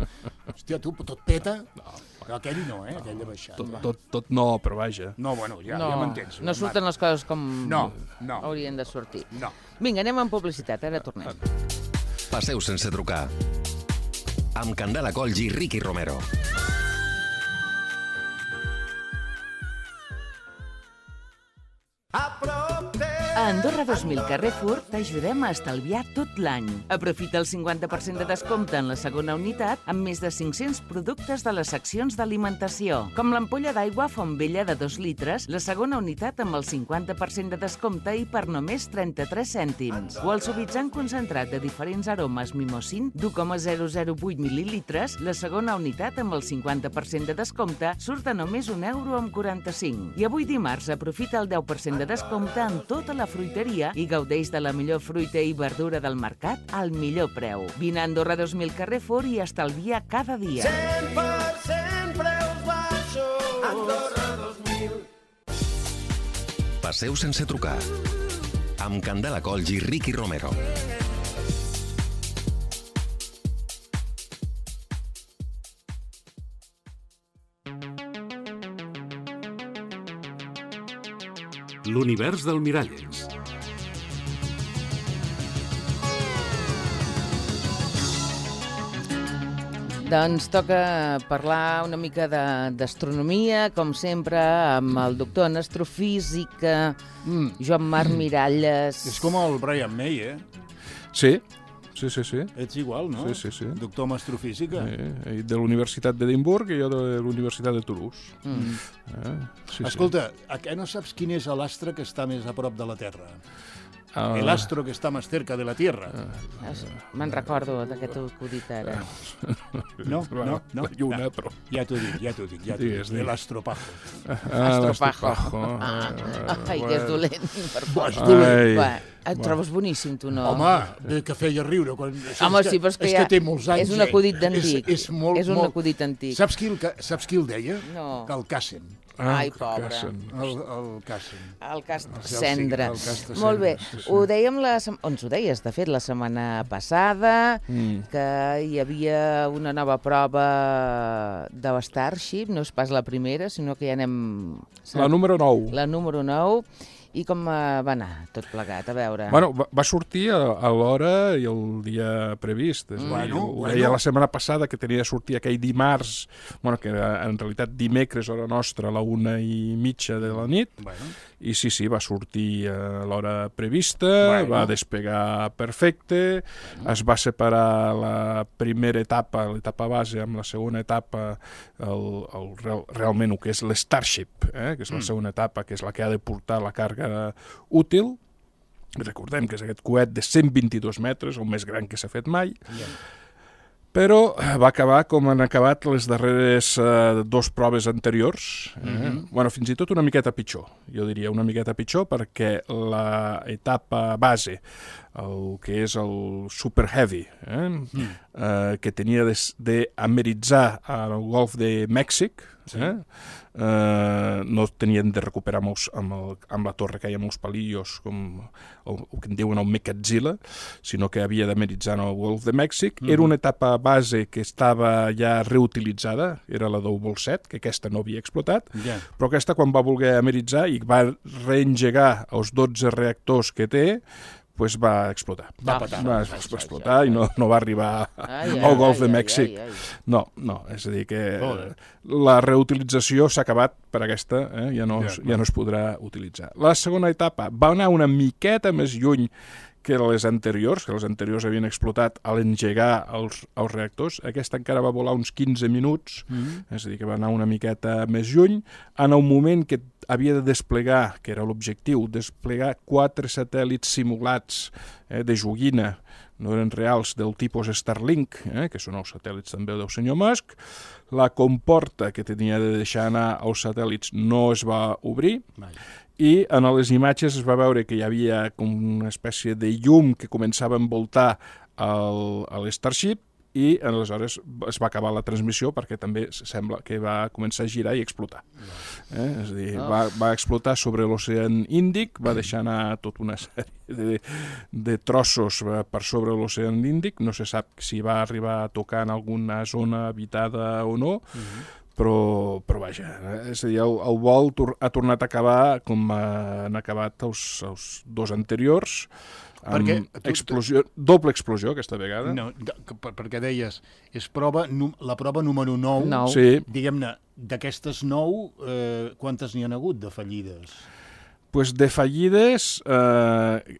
Hòstia, tu, tot peta... No. Aquell no, eh? Aquell de baixar. Tot, tot, tot no, però vaja. No, bueno, ja, no, ja m'entens. No surten les coses com no, no. haurien de sortir. No. Vinga, anem amb publicitat, ara tornem. Passeu sense trucar. Amb Candela Colls i Ricky Romero. A Andorra dos mil Carrefour t'ajudem a estalviar tot l'any. Aprofita el cinquanta per cent de descompte en la segona unitat amb més de cinc-cents productes de les seccions d'alimentació, com l'ampolla d'aigua Fontvella de dos litres, la segona unitat amb el cinquanta per cent de descompte i per només trenta-tres cèntims. O el suavitzant concentrat de diferents aromes Mimosín d'u coma zero zero vuit mil·lilitres, la segona unitat amb el cinquanta per cent de descompte surt a només un euro amb quaranta-cinc. I avui dimarts aprofita el deu per cent de descompte en tota la fruiteria i gaudeix de la millor fruita i verdura del mercat al millor preu. Vine a Andorra dos mil Carrefour i estalvia cada dia. cent per cent preus baixos. Andorra dos mil. Passeu sense trucar. Amb Candela Colls i Ricky Romero. L'univers del Miralles. Doncs toca parlar una mica d'astronomia, com sempre, amb el doctor en astrofísica, mm. Joan Marc Miralles. És com el Brian May, eh? Sí, sí, sí, sí. Ets igual, no? Sí, sí, sí. Doctor en astrofísica. Sí, de la Universitat d'Edimburg i jo de la Universitat de Toulouse. Mm. Eh? Sí, Escolta, sí. A què no saps quin és l'astre que està més a prop de la Terra? Uh, El astro que està més cerca de la Tierra. Uh, Me'n recordo d'aquest acudit ara. No, no, no. La lluna, ja, però... Ja t'ho dic, ja t'ho dic, ja t'ho dic. L'astropajo. Ah, l'astropajo. Ah, ai, que és dolent. Per Va, és dolent. Va, et trobes boníssim, tu, no? Home, que feia riure. Quan... Home, sí, però és que, és ja... que té molts anys. És un acudit d'antic. És, és, molt, és un molt... acudit antic. Saps qui el, saps qui el deia? No. Que el Cassen. Ah, ai, pobre. El, el Cassen. El cas Cendra. El cas de Molt bé. sí, sí. Ho dèiem la... Ens ho deies, de fet, la setmana passada, mm. que hi havia una nova prova de l'Starship, no és pas la primera, sinó que ja anem... La número nou. La número nou. I com va anar tot plegat? A veure... Bueno, va, va sortir a, a l'hora i el dia previst. És bueno, dir, ho bueno. deia la setmana passada que tenia de sortir aquell dimarts, bueno, que era en realitat dimecres, hora nostra, a la una i mitja de la nit. Bueno. I sí, sí, va sortir a l'hora prevista, bueno. va despegar perfecte, bueno. Es va separar la primera etapa, l'etapa base, amb la segona etapa, el, el, real, realment el que és l'Starship, eh, que és la mm. segona etapa, que és la que ha de portar la càrrega útil. Recordem que és aquest coet de cent vint-i-dos metres, el més gran que s'ha fet mai, yeah. Però va acabar com han acabat les darreres uh, dos proves anteriors, eh? Mm-hmm. Bueno, fins i tot una miqueta pitjor, jo diria una miqueta pitjor, perquè l'etapa base, el que és el Super Heavy, eh? mm. eh, que tenia d'ameritzar al Golf de Mèxic, sí. eh? Eh, no tenien de recuperar amb, els, amb, el, amb la torre que hi ha molts palillos, com el, el que en diuen el Mecatzilla, sinó que havia d'ameritzar en el Golf de Mèxic. Mm. Era una etapa base que estava ja reutilitzada, era la del vol set, que aquesta no havia explotat, yeah. però aquesta quan va voler ameritzar i va reengegar els dotze reactors que té, pues va explotar. Va, petar. va, va explotar i no, no va arribar ai, al ai, Golf ai, de Mèxic. Ai, ai, ai. No, no, és a dir que Joder. La reutilització s'ha acabat per aquesta, eh? ja, no, ja, ja no es podrà utilitzar. La segona etapa va anar una miqueta més lluny que les anteriors, que les anteriors havien explotat a l'engegar els, els reactors. Aquesta encara va volar uns quinze minuts, mm-hmm. és a dir, que va anar una miqueta més lluny. En el moment que havia de desplegar, que era l'objectiu, desplegar quatre satèl·lits simulats eh, de joguina, no eren reals, del tipus Starlink, eh, que són els satèl·lits també del senyor Musk. La comporta que tenia de deixar anar els satèl·lits no es va obrir, i en les imatges es va veure que hi havia com una espècie de llum que començava a envoltar el, el Starship, i aleshores es va acabar la transmissió perquè també sembla que va començar a girar i explotar. Eh? És a dir, va, va explotar sobre l'oceà Índic, va deixar anar tota una sèrie de, de trossos per sobre l'oceà Índic, no se sap si va arribar a tocar en alguna zona habitada o no, uh-huh. Però, però vaja, és a dir, el, el vol ha tornat a acabar com han acabat els, els dos anteriors, amb tu, explosió, doble explosió aquesta vegada. No, perquè deies, és prova, la prova número nou, nou. Sí. Diguem-ne, d'aquestes nou, eh, quantes n'hi han hagut de fallides? Pues de fallides, eh,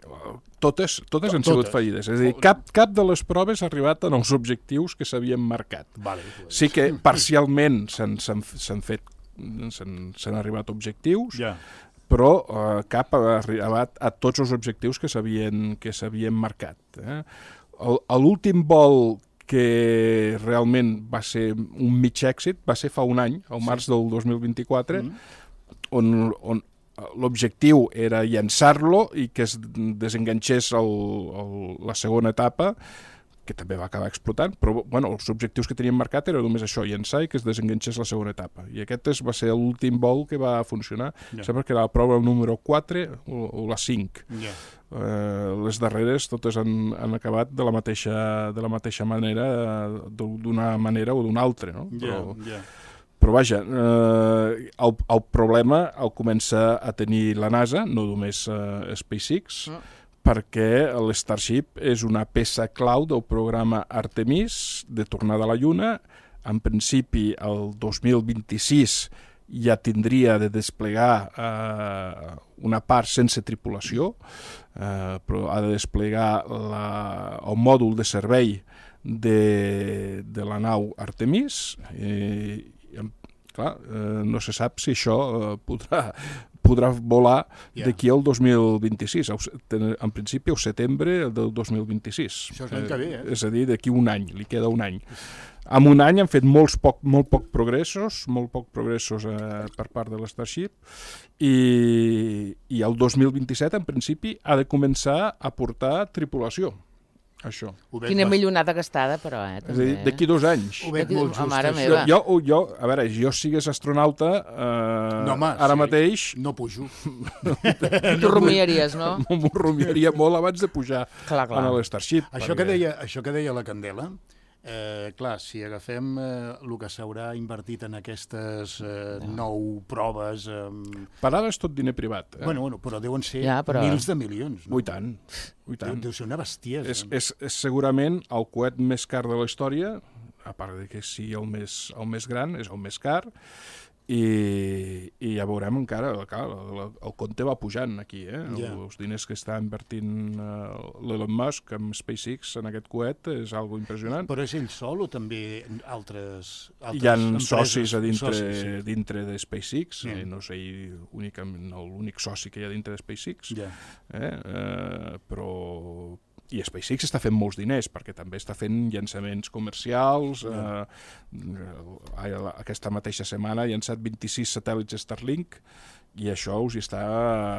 totes, totes han sigut fallides. És a dir, cap, cap de les proves ha arribat en els objectius que s'havien marcat. Vale, pues. Sí que parcialment s'han fet, s'han arribat objectius, ja. Però eh, cap ha arribat a tots els objectius que s'havien que s'havien marcat. Eh? L'últim vol que realment va ser un mig èxit va ser fa un any, al març sí. del dos mil vint-i-quatre, mm. on, on l'objectiu era llançar-lo i que es desenganxés el, el, la segona etapa, que també va acabar explotant, però bueno, els objectius que tenien marcat era només això, llançar i que es desenganxés la segona etapa. I aquest és, va ser l'últim vol que va funcionar. Yeah. Sembla que era la prova número quatre o, o la cinc. Yeah. Eh, les darreres totes han, han acabat de la mateixa, de la mateixa manera, d'una manera o d'una altra, no? Però, yeah, yeah. Però vaja, eh, el, el problema el comença a tenir la NASA, no només eh, SpaceX, mm. perquè l'Starship és una peça clau del programa Artemis de tornada a la Lluna. En principi, el dos mil vint-i-sis ja tindria de desplegar eh, una part sense tripulació, eh, però ha de desplegar la, el mòdul de servei de, de la nau Artemis, i, clar, eh, no se sap si això eh, podrà, podrà volar yeah. d'aquí al dos mil vint-i-sis, en principi al setembre del dos mil vint-i-sis. Això és l'any que ve, eh? És a dir, d'aquí un any, li queda un any. En un any han fet molts poc, molt poc progressos, molt poc progressos eh, per part de l'Starship, i, i el dos mil vint-i-set, en principi, ha de començar a portar tripulació. Això. Quina millonada gastada, però, eh? És a dir, d'aquí dos anys. Ho veig molt just. Mare meva. Jo, jo, jo, a veure, jo sigués astronauta eh, no, home, ara sí. mateix... No pujo. Tu rumiaries, no? M'ho rumiaria molt abans de pujar clar, clar. a l'Starship. Això, perquè... que deia, això que deia la Candela, eh, clar, si agafem eh, el que s'haurà invertit en aquestes eh, no. nou proves... Eh... Per ara és tot diner privat. Eh? Bueno, bueno, però deuen ser ja, però... mils de milions. No? Ui tant. Ui tant. Deu, deu ser una bestiesa. És, és, és segurament el coet més car de la història, a part de que sigui el més, el més gran, és el més car, i, i ja veurem encara, clar, el, el compte va pujant aquí, eh? Yeah. Els diners que està invertint uh, l'Elon Musk amb SpaceX en aquest coet és algo impressionant. Però és ell sol o també altres, altres hi ha empreses? socis a dintre, socis, sí. dintre de SpaceX, yeah. eh, no sé únicament l'únic soci que hi ha dintre de SpaceX, yeah. eh? Uh, però... I SpaceX està fent molts diners, perquè també està fent llançaments comercials. Yeah. Eh, aquesta mateixa setmana ha llançat vint-i-sis satèl·lits Starlink, i això us hi està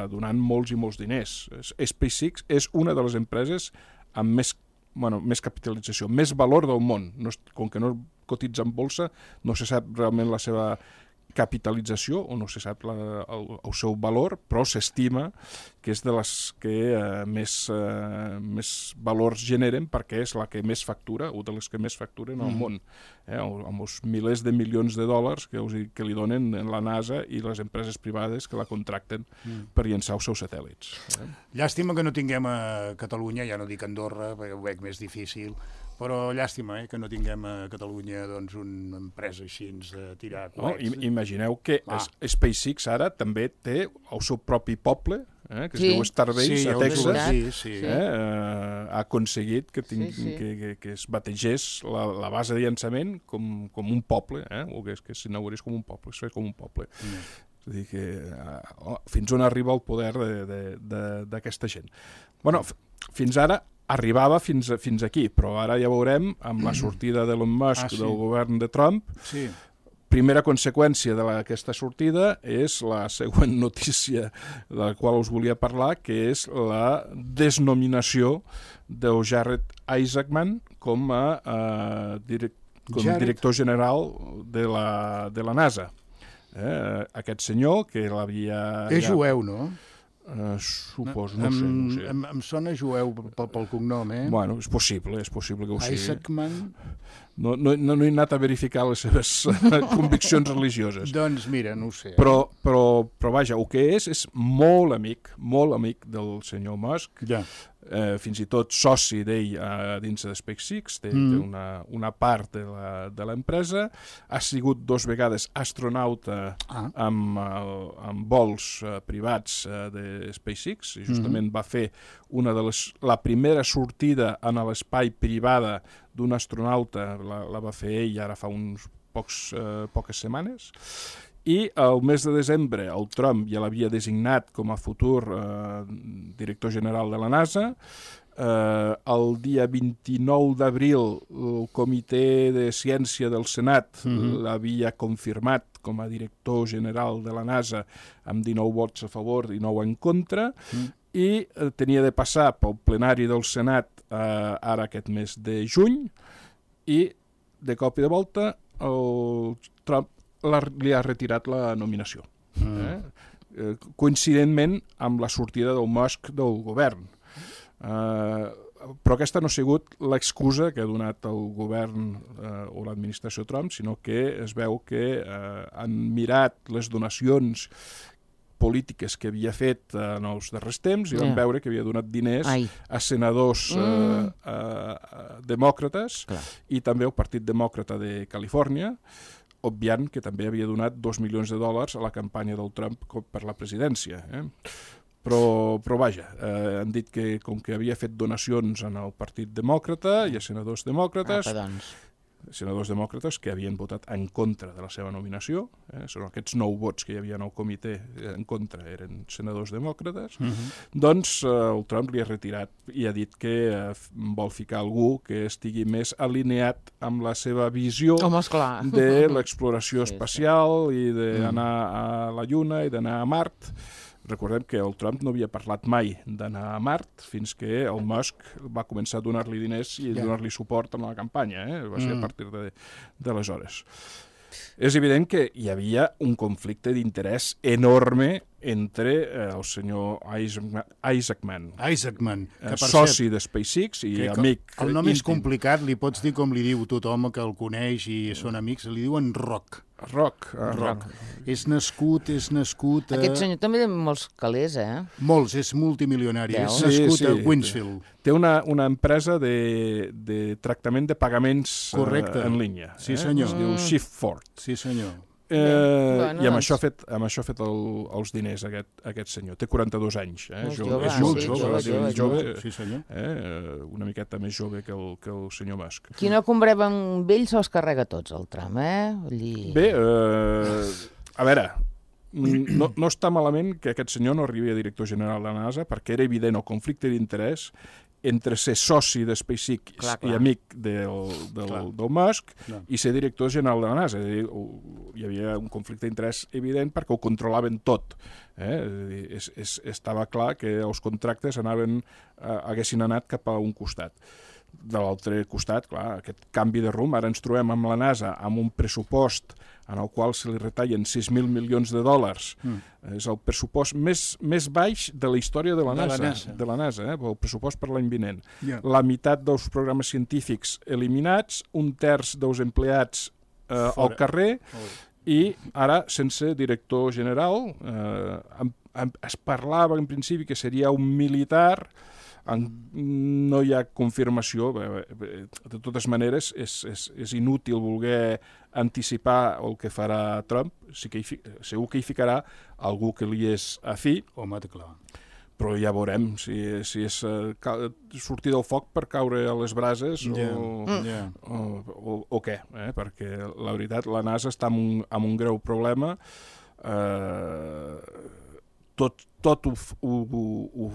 donant molts i molts diners. SpaceX és una de les empreses amb més, bueno, més capitalització, més valor del món. No, com que no cotitza en bolsa, no se sap realment la seva capitalització, o no se sap la, el, el seu valor, però s'estima que és de les que eh, més, eh, més valors generen, perquè és la que més factura, o de les que més facturen al mm. món, eh, amb els milers de milions de dòlars que, us, que li donen la NASA i les empreses privades que la contracten mm. per llançar els seus satèl·lits. Eh? Llàstima que no tinguem a Catalunya, ja no dic Andorra, perquè ho veig més difícil, però llàstima eh, que no tinguem a Catalunya doncs, una empresa així de tirar coets. No, imagineu que ah. SpaceX ara també té el seu propi poble, eh, que sí. es diu Starbase, sí, a Texas, sí, sí. Eh, eh, ha aconseguit que, ting, sí, sí. Que, que, que es bategés la, la base de llançament com, com un poble, eh, o que, que s'inaugurés com un poble, es fes com un poble. Mm. És a dir, que uh, oh, fins on arriba el poder d'aquesta gent. Bueno, fins ara arribava fins, a, fins aquí, però ara ja veurem, amb la sortida d'Elon Musk Ah, sí. del govern de Trump, Sí. primera conseqüència d'aquesta sortida és la següent notícia de la qual us volia parlar, que és la desnominació de Jared Isaacman com a, uh, direc com a Jared? director general de la, de la NASA. Eh? Aquest senyor que l'havia... És ja... jueu, no? Uh, suposo, no em, sé. No sé. Em, em sona jueu pel, pel cognom, eh? Bueno, és possible, és possible que ho sigui. Isaacman... No, no, no, no he anat a verificar les seves conviccions religioses. Doncs mira, no ho sé. Però, però, però vaja, el que és, és molt amic, molt amic del senyor Musk, ja. eh, fins i tot soci d'ell eh, dins de SpaceX, té, mm. té una, una part de l'empresa, ha sigut dos vegades astronauta ah. amb, amb vols eh, privats eh, de SpaceX, i justament mm -hmm. va fer una de les, la primera sortida en l'espai privada d'un astronauta, la, la va fer ell ara fa uns pocs, eh, poques setmanes, i el mes de desembre el Trump ja l'havia designat com a futur eh, director general de la NASA. Eh, el dia vint-i-nou d'abril el Comitè de Ciència del Senat mm-hmm. l'havia confirmat com a director general de la NASA amb dinou vots a favor i nou en contra, mm. i eh, tenia de passar pel plenari del Senat eh, ara aquest mes de juny, i de cop i de volta el Trump la, li ha retirat la nominació. Mm. Eh? Eh, coincidentment amb la sortida del Musk del govern. Eh, però aquesta no ha sigut l'excusa que ha donat el govern eh, o l'administració Trump, sinó que es veu que eh, han mirat les donacions polítiques que havia fet en els darrers temps i van yeah. veure que havia donat diners Ai. a senadors mm. eh, eh, demòcrates Clar. i també al Partit Demòcrata de Califòrnia, obviant que també havia donat dos milions de dòlars a la campanya del Trump per la presidència. Eh? Però, però vaja, eh, han dit que com que havia fet donacions en el Partit Demòcrata i a senadors demòcrates, Apa, doncs. senadors demòcrates que havien votat en contra de la seva nominació, eh, són aquests nou vots que hi havia en el comitè en contra, eren senadors demòcrates, uh-huh. doncs eh, el Trump li ha retirat i ha dit que eh, vol ficar algú que estigui més alineat amb la seva visió Home, esclar. de l'exploració sí, espacial sí. i d'anar Mm. a la Lluna i d'anar a Mart. Recordem que el Trump no havia parlat mai d'anar a Mart fins que el Musk va començar a donar-li diners i yeah. donar-li suport en la campanya. Eh? Va ser mm. a partir de, d'aleshores. És evident que hi havia un conflicte d'interès enorme entre eh, el senyor Isaacman, Isaacman, Isaacman eh, soci de SpaceX i amic El nom íntim. és complicat, li pots dir com li diu tothom que el coneix i són amics, li diuen Rock. Rock. Uh, Rock. És nascut, és nascut... A... Aquest senyor també té molts calés, eh? Molts, és multimilionari. Deu. És nascut sí, sí. a Winsfield. Té una, una empresa de, de tractament de pagaments Correcte. Uh, en línia. Sí, eh? senyor. Es diu Shift4. Sí, senyor. Eh, bueno, I amb doncs... això ha fet, amb això ha fet el, els diners aquest, aquest senyor. Té quaranta-dos anys. Eh? Molt Jo, jove, és sí, molt jove, jove, jove, jove, jove. jove, Sí, senyor. eh? Una miqueta més jove que el, que el senyor Musk. Qui no compreva amb ell se'ls carrega tots, el tram, eh? Allí... Bé, eh, a veure, no, no està malament que aquest senyor no arribi a director general de la NASA perquè era evident el conflicte d'interès entre ser soci de SpaceX clar, clar. i amic del, del, del Musk clar. i ser director general de la NASA. És a dir, hi havia un conflicte d'interès evident perquè ho controlaven tot. Eh? És a dir, és, és, estava clar que els contractes anaven, eh, haguessin anat cap a un costat. De l'altre costat, clar, aquest canvi de rumb, ara ens trobem amb la NASA amb un pressupost en el qual se li retallen sis mil milions de dòlars. Mm. És el pressupost més, més baix de la història de la de NASA, la NASA. de la NASA eh? El pressupost per l'any vinent. Yeah. La meitat dels programes científics eliminats, un terç dels empleats eh, al carrer, oh. i ara, sense director general, eh, en, en, es parlava en principi que seria un militar. En, no hi ha confirmació. De totes maneres, és, és, és inútil voler anticipar el que farà Trump. Sí que hi, segur que hi ficarà algú que li és afí. Home, clar. Però ja veurem si, si és uh, sortir del foc per caure a les brases yeah. o, yeah. o, o, o què. Eh? Perquè la veritat, la NASA està amb un, amb un greu problema. Eh, tot, tot ho... ho,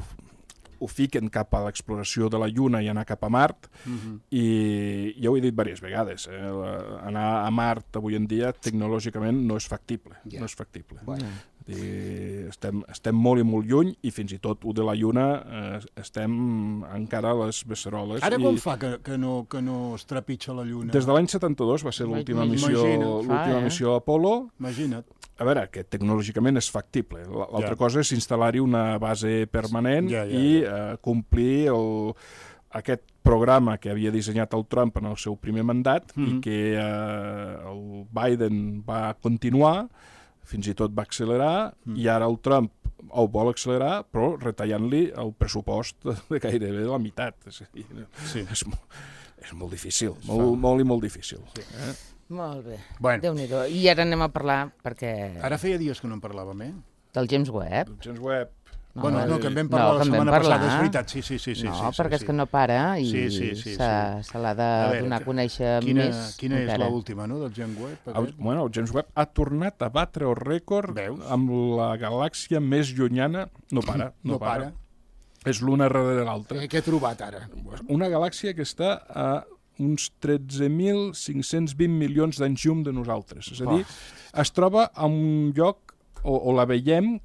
ho ho fiquen cap a l'exploració de la Lluna i anar cap a Mart, Mhm. i ja ho he dit diverses vegades, eh? Anar a Mart avui en dia tecnològicament no és factible, Ja. no és factible. Bueno. I estem, estem molt i molt lluny, i fins i tot ho de la Lluna eh, estem encara a les beceroles. Ara i com fa que, que, no, que no es trepitja la Lluna? Des de l'any setanta-dos va ser l'última missió, Imagina't. l'última Fa, eh? missió Apollo. Imagina't. A veure, que tecnològicament és factible. L'altra Ja. cosa és instal·lar-hi una base permanent Ja, ja, i eh, complir el, aquest programa que havia dissenyat el Trump en el seu primer mandat Mhm. i que eh, el Biden va continuar, fins i tot va accelerar, Mm. i ara el Trump el vol accelerar, però retallant-li el pressupost de gairebé la meitat. És, a dir, Sí. és, mo- és molt difícil, molt, molt i molt difícil. Eh? Molt bé, Bueno. Déu-n'hi-do. I ara anem a parlar, perquè... Ara feia dies que no en parlàvem, eh? Del James Webb. El James Webb... Bueno, no, que en vam No, parlar que la en vam setmana parlar. passada, és veritat, sí, sí, sí. sí No, sí, sí, perquè sí. és que no para i Sí, sí, sí, se, sí. se l'ha de A veure, donar a conèixer quina, més Quina és encara. l'última, no?, del James Webb? El, aquest? bueno, el James Webb ha tornat a batre el rècord Veus? amb la galàxia més llunyana. No para, no, No para. És l'una darrere l'altra. Eh, Què he trobat ara? Una galàxia que està a uns tretze mil cinc-cents vint milions d'anys llum de nosaltres. És a dir, es troba en un lloc, o, o la veiem,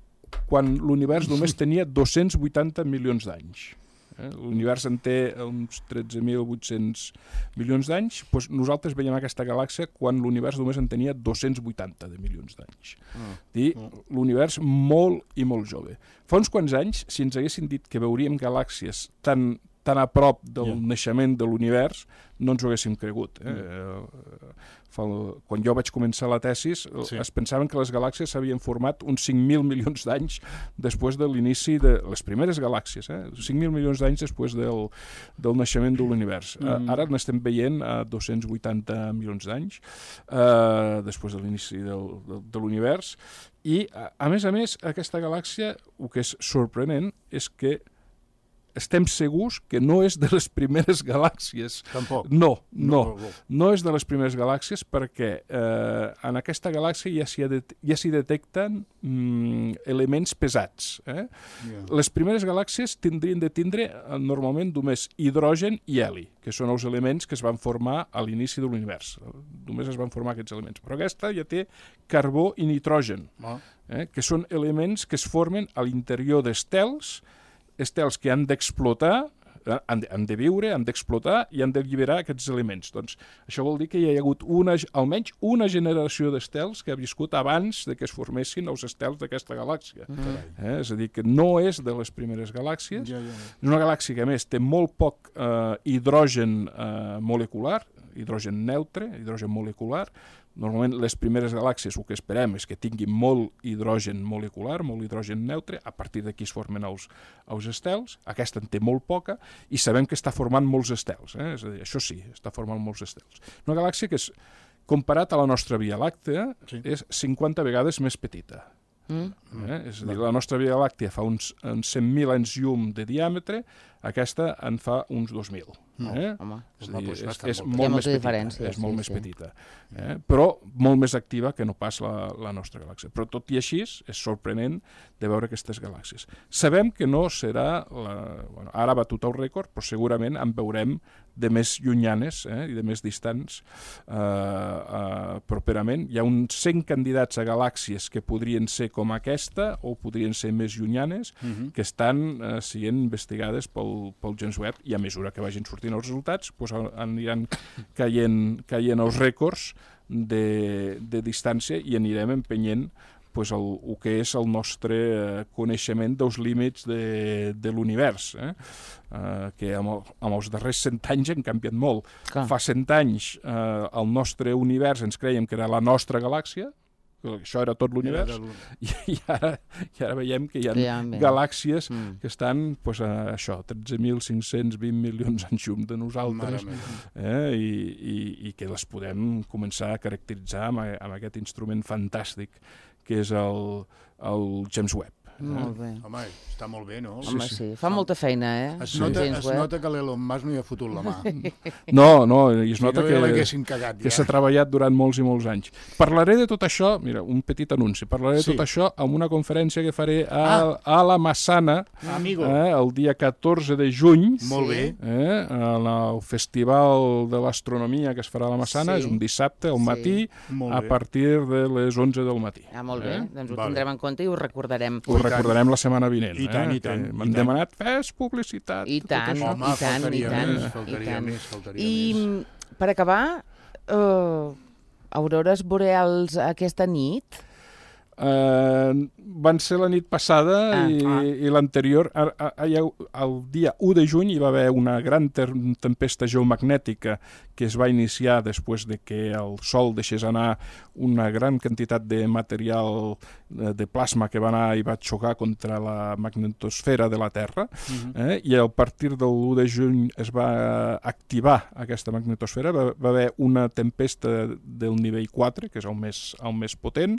quan l'univers només tenia dos-cents vuitanta milions d'anys. Eh? L'univers en té uns tretze mil vuit-cents milions d'anys, doncs nosaltres veiem aquesta galàxia quan l'univers només en tenia dos-cents vuitanta de milions d'anys. Ah. I l'univers molt i molt jove. Fa uns quants anys, si ens haguessin dit que veuríem galàxies tan, tan a prop del Ja. naixement de l'univers, no ens ho haguéssim cregut. Eh? Mm. Fa, quan jo vaig començar la tesis, Sí. es pensaven que les galàxies s'havien format uns cinc mil milions d'anys després de l'inici de les primeres galàxies, eh? cinc mil milions d'anys després del, del naixement de l'univers. Mm. Mm. Ara n'estem veient a dos-cents vuitanta milions d'anys eh, després de l'inici del, del, de l'univers, i a, a més a més aquesta galàxia, el que és sorprenent és que estem segurs que no és de les primeres galàxies. Tampoc. No, no, No, no. no és de les primeres galàxies perquè eh, en aquesta galàxia ja s'hi det ja s'hi detecten mm, elements pesats. Eh? Ja. Les primeres galàxies tindrien de tindre eh, normalment només hidrogen i heli, que són els elements que es van formar a l'inici de l'univers. Només es van formar aquests elements. Però aquesta ja té carbó i nitrogen, Ah. eh? que són elements que es formen a l'interior d'estels, estels que han d'explotar, han de, han de viure, han d'explotar i han d'alliberar aquests elements. Doncs això vol dir que hi ha hagut una, almenys una generació d'estels que ha viscut abans de que es formessin els estels d'aquesta galàxia. Mm. Eh? És a dir, que no és de les primeres galàxies. Ja, ja. És una galàxia que, a més, té molt poc eh, hidrogen eh, molecular, hidrogen neutre, hidrogen molecular. Normalment les primeres galàxies el que esperem és que tinguin molt hidrogen molecular, molt hidrogen neutre, a partir d'aquí es formen els, els estels. Aquesta en té molt poca i sabem que està formant molts estels, eh? És a dir, això sí, està formant molts estels. Una galàxia que, és, comparat a la nostra Via Làctea, Sí. és cinquanta vegades més petita. Mm? Eh? És a dir, la nostra Via Làctea fa uns, uns cent mil anys llum de diàmetre, aquesta en fa uns dos mil. No, eh? home. És, Home, a dir, doncs és, bastant és molt molt Hi ha més molta petita, diferència, és sí, molt més sí. petita, eh? però molt més activa que no pas la, la nostra galàxia. Però tot i així és sorprenent de veure aquestes galàxies. Sabem que no serà, la, bueno, ara ha batut el rècord, però segurament en veurem de més llunyanes eh, i de més distants eh, eh, properament. Hi ha uns cent candidats a galàxies que podrien ser com aquesta o podrien ser més llunyanes, Mhm. que estan eh, sent investigades pel, pel James Webb, i a mesura que vagin sortint els resultats doncs aniran caient, caient els rècords de, de distància i anirem empenyent pues, el, el que és el nostre eh, coneixement dels límits de, de l'univers, eh? eh, que amb, el, amb els darrers cent anys han canviat molt. Clar. Fa cent anys eh, el nostre univers ens creiem que era la nostra galàxia, que això era tot l'univers, Era de i, i, ara, i ara veiem que hi ha Que hi ha més. galàxies Mm. que estan pues, a això, tretze mil cinc-cents vint milions anys llum de nosaltres, Mare meva. eh? I, i, i que les podem començar a caracteritzar amb, amb aquest instrument fantàstic que és el, el James Webb. Molt bé. Home, està molt bé, no? Home, sí, sí. Fa molta feina, eh? Es nota, es nota que l'Elon Musk no hi ha fotut la mà. No, no, i es Si nota no, que, ja l'haguessin cagat, que ja. s'ha treballat durant molts i molts anys. Parlaré de tot això, mira, un petit anunci, parlaré de Sí. tot això amb una conferència que faré a, Ah. a la Massana Amigo. eh, el dia catorze de juny. Molt bé. Eh, en el Festival de l'Astronomia que es farà a la Massana, Sí. és un dissabte al Sí. matí Molt a bé. partir de les onze del matí. Ah, molt bé, Eh? doncs ho Vale. tindrem en compte i ho recordarem. Ho recordarem la setmana vinent. I tant, eh? i tant, que i M'han tant. demanat, fes publicitat. I tot tant, això. Home, i tant, i faltaria tant. més, i faltaria tant. més, faltaria I més. mm, per acabar, uh, aurores boreals aquesta nit? Uh, van ser la nit passada Ah, i, ah. i l'anterior. a- a- a- El dia u de juny hi va haver una gran ter- tempesta geomagnètica que es va iniciar després de que el Sol deixés anar una gran quantitat de material eh, de plasma que va anar i va xocar contra la magnetosfera de la Terra, eh? I a partir de l'u de juny es va activar aquesta magnetosfera, va, va haver una tempesta del nivell quatre, que és el més, el més potent.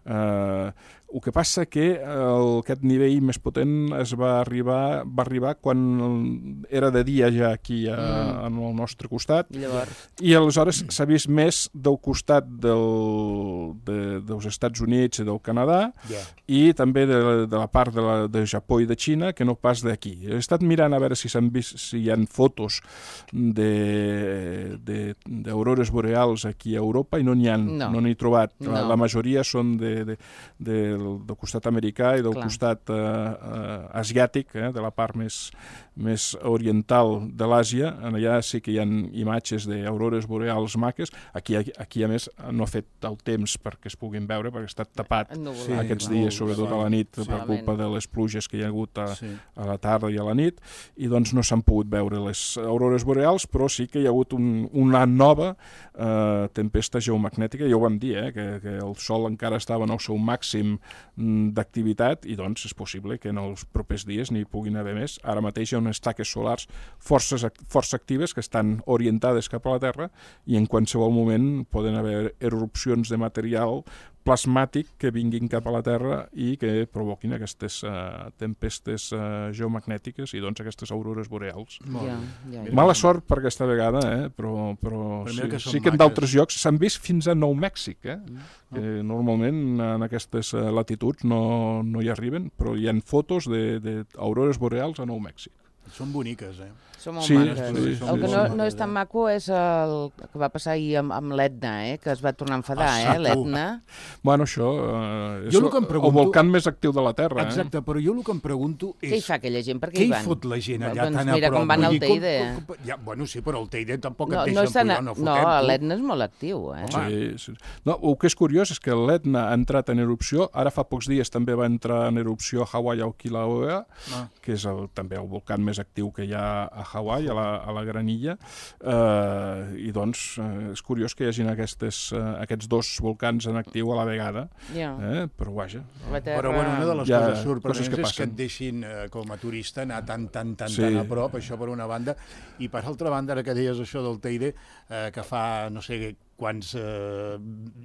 eh, el que passa que el, aquest nivell més potent es va arribar, va arribar quan era de dia ja aquí a, Mm. en el nostre costat. Llavors, I aleshores s'ha vist més del costat del, de, dels Estats Units i del Canadà Ja. i també de, de la part de, la, de Japó i de Xina, que no pas d'aquí. He estat mirant a veure si s'han vist, si hi ha fotos de, de, d'aurores boreals aquí a Europa i no n'hi ha, No. no n'he trobat. La, No. la majoria són de, de, de, del costat americà i del Clar. costat eh, eh, asiàtic, eh, de la part més, més oriental de l'Àsia. Allà sí que hi ha imatges d'aurores boreals maques. Aquí, aquí, a més, no ha fet el temps perquè es puguin veure, perquè ha estat tapat ennuvolat, Sí, aquests clar. dies, sobretot a la nit, Sí. per culpa de les pluges que hi ha hagut a, Sí. a la tarda i a la nit, i doncs no s'han pogut veure les aurores boreals, però sí que hi ha hagut un, una nova eh, tempesta geomagnètica, ja ho vam dir, eh, que, que el Sol encara estava en el seu màxim mm, d'activitat, i doncs és possible que en els propers dies n'hi puguin haver més. Ara mateix hi ha unes taques solars força, força actives que estan orientades cap a la Terra, i en qualsevol moment poden haver erupcions de material plasmàtic que vinguin cap a la Terra i que provoquin aquestes uh, tempestes uh, geomagnètiques i doncs aquestes aurores boreals. Molt ja, bé. ja, ja. Mala sort per aquesta vegada, eh? però, però Però sí, mira que són sí que en maques. d'altres llocs s'han vist fins a Nou Mèxic, eh? que normalment en aquestes uh, latituds no, no hi arriben, però hi ha fotos d'aurores boreals a Nou Mèxic. Són boniques, eh? Són molt Sí, maques. sí, sí, el que sí, no, sí. no és tan maco és el que va passar ahir amb, amb l'Etna, eh? Que es va tornar a enfadar, Ah, sí, eh? tu. L'Etna. Bueno, això uh, és Jo el que em el pregunto- volcán més actiu de la Terra. Exacte, Eh? però jo el que em pregunto és... Què hi fa aquella gent? Per què Què hi hi van? fot la gent allà Doncs tan a mira prop? com van Vull al dir, Teide. com- com- ja, bueno, sí, però el Teide tampoc No, et no, deixen és tan, pujar, no no, fotem, tu. l'Etna és molt actiu, eh? Sí, sí. No, el que és curiós és que l'Etna ha entrat en erupció, ara fa pocs dies també va entrar en erupció a Hawaii o Kilauea, Ah. que és el, també el volcán més actiu que hi ha a Hawaii, a la, a la Granilla, eh, i doncs eh, és curiós que hi hagin aquestes, eh, aquests dos volcans en actiu a la vegada, Ja. eh? però vaja. La Terra... Però bueno, una de les Hi ha coses coses sorprenents que és que passen. et deixin eh, com a turista anar tan, tan, tan, Sí. tan a prop, això per una banda, i per altra banda, ara que deies això del Teide, eh, que fa, no sé quants eh,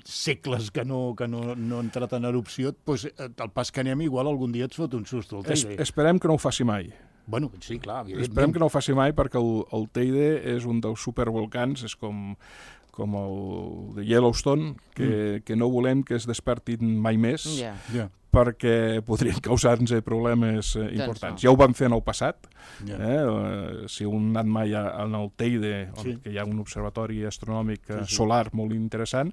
segles que no, que no, no ha entrat en erupció, doncs, eh, el pas que anem igual algun dia et fot un susto al Es, Teide. esperem que no ho faci mai. Bueno, sí, clar, evidentment. Esperem que no ho faci mai perquè el, el Teide és un dels supervolcans, és com, com el de Yellowstone, que, mm. que no volem que es despertin mai més, Ja. Ja. perquè podrien causar-nos problemes eh, importants. no. Ja ho van fer en el passat. Ja. Eh? Eh, si heu anat mai a, en el Teide, Sí. on que hi ha un observatori astronòmic eh, Sí, sí. solar molt interessant,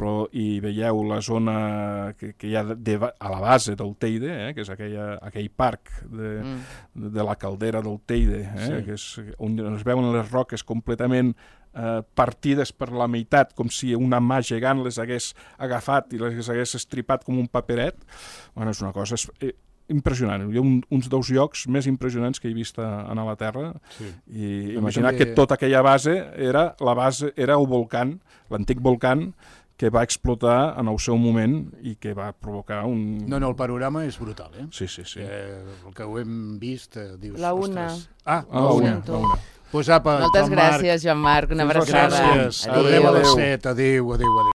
però hi veieu la zona que, que hi ha de, de, a la base del Teide, eh? que és aquella, aquell parc de, Mm. de la caldera del Teide, eh? Sí. que és on es veuen les roques completament eh, partides per la meitat, com si una mà gegant les hagués agafat i les hagués estripat com un paperet. Bueno, és una cosa és, eh, impressionant. Hi ha un, uns dels llocs més impressionants que he vist a, a la Terra. Sí. I A imaginar mi que també- tota aquella base era la base era el volcán, l'antic volcán, que va explotar en el seu moment i que va provocar un... No, no, el panorama és brutal, eh? Sí, sí, sí. Eh, el que ho hem vist, eh, dius... La una. ostres. Ah, Ah, la una, sento. la una. Pues apa, Moltes Joan Marc, gràcies, Joan Marc. Una Fins la abraçada. gràcies. Adéu. Tornem a les Adéu. set. Adéu, adéu, adéu.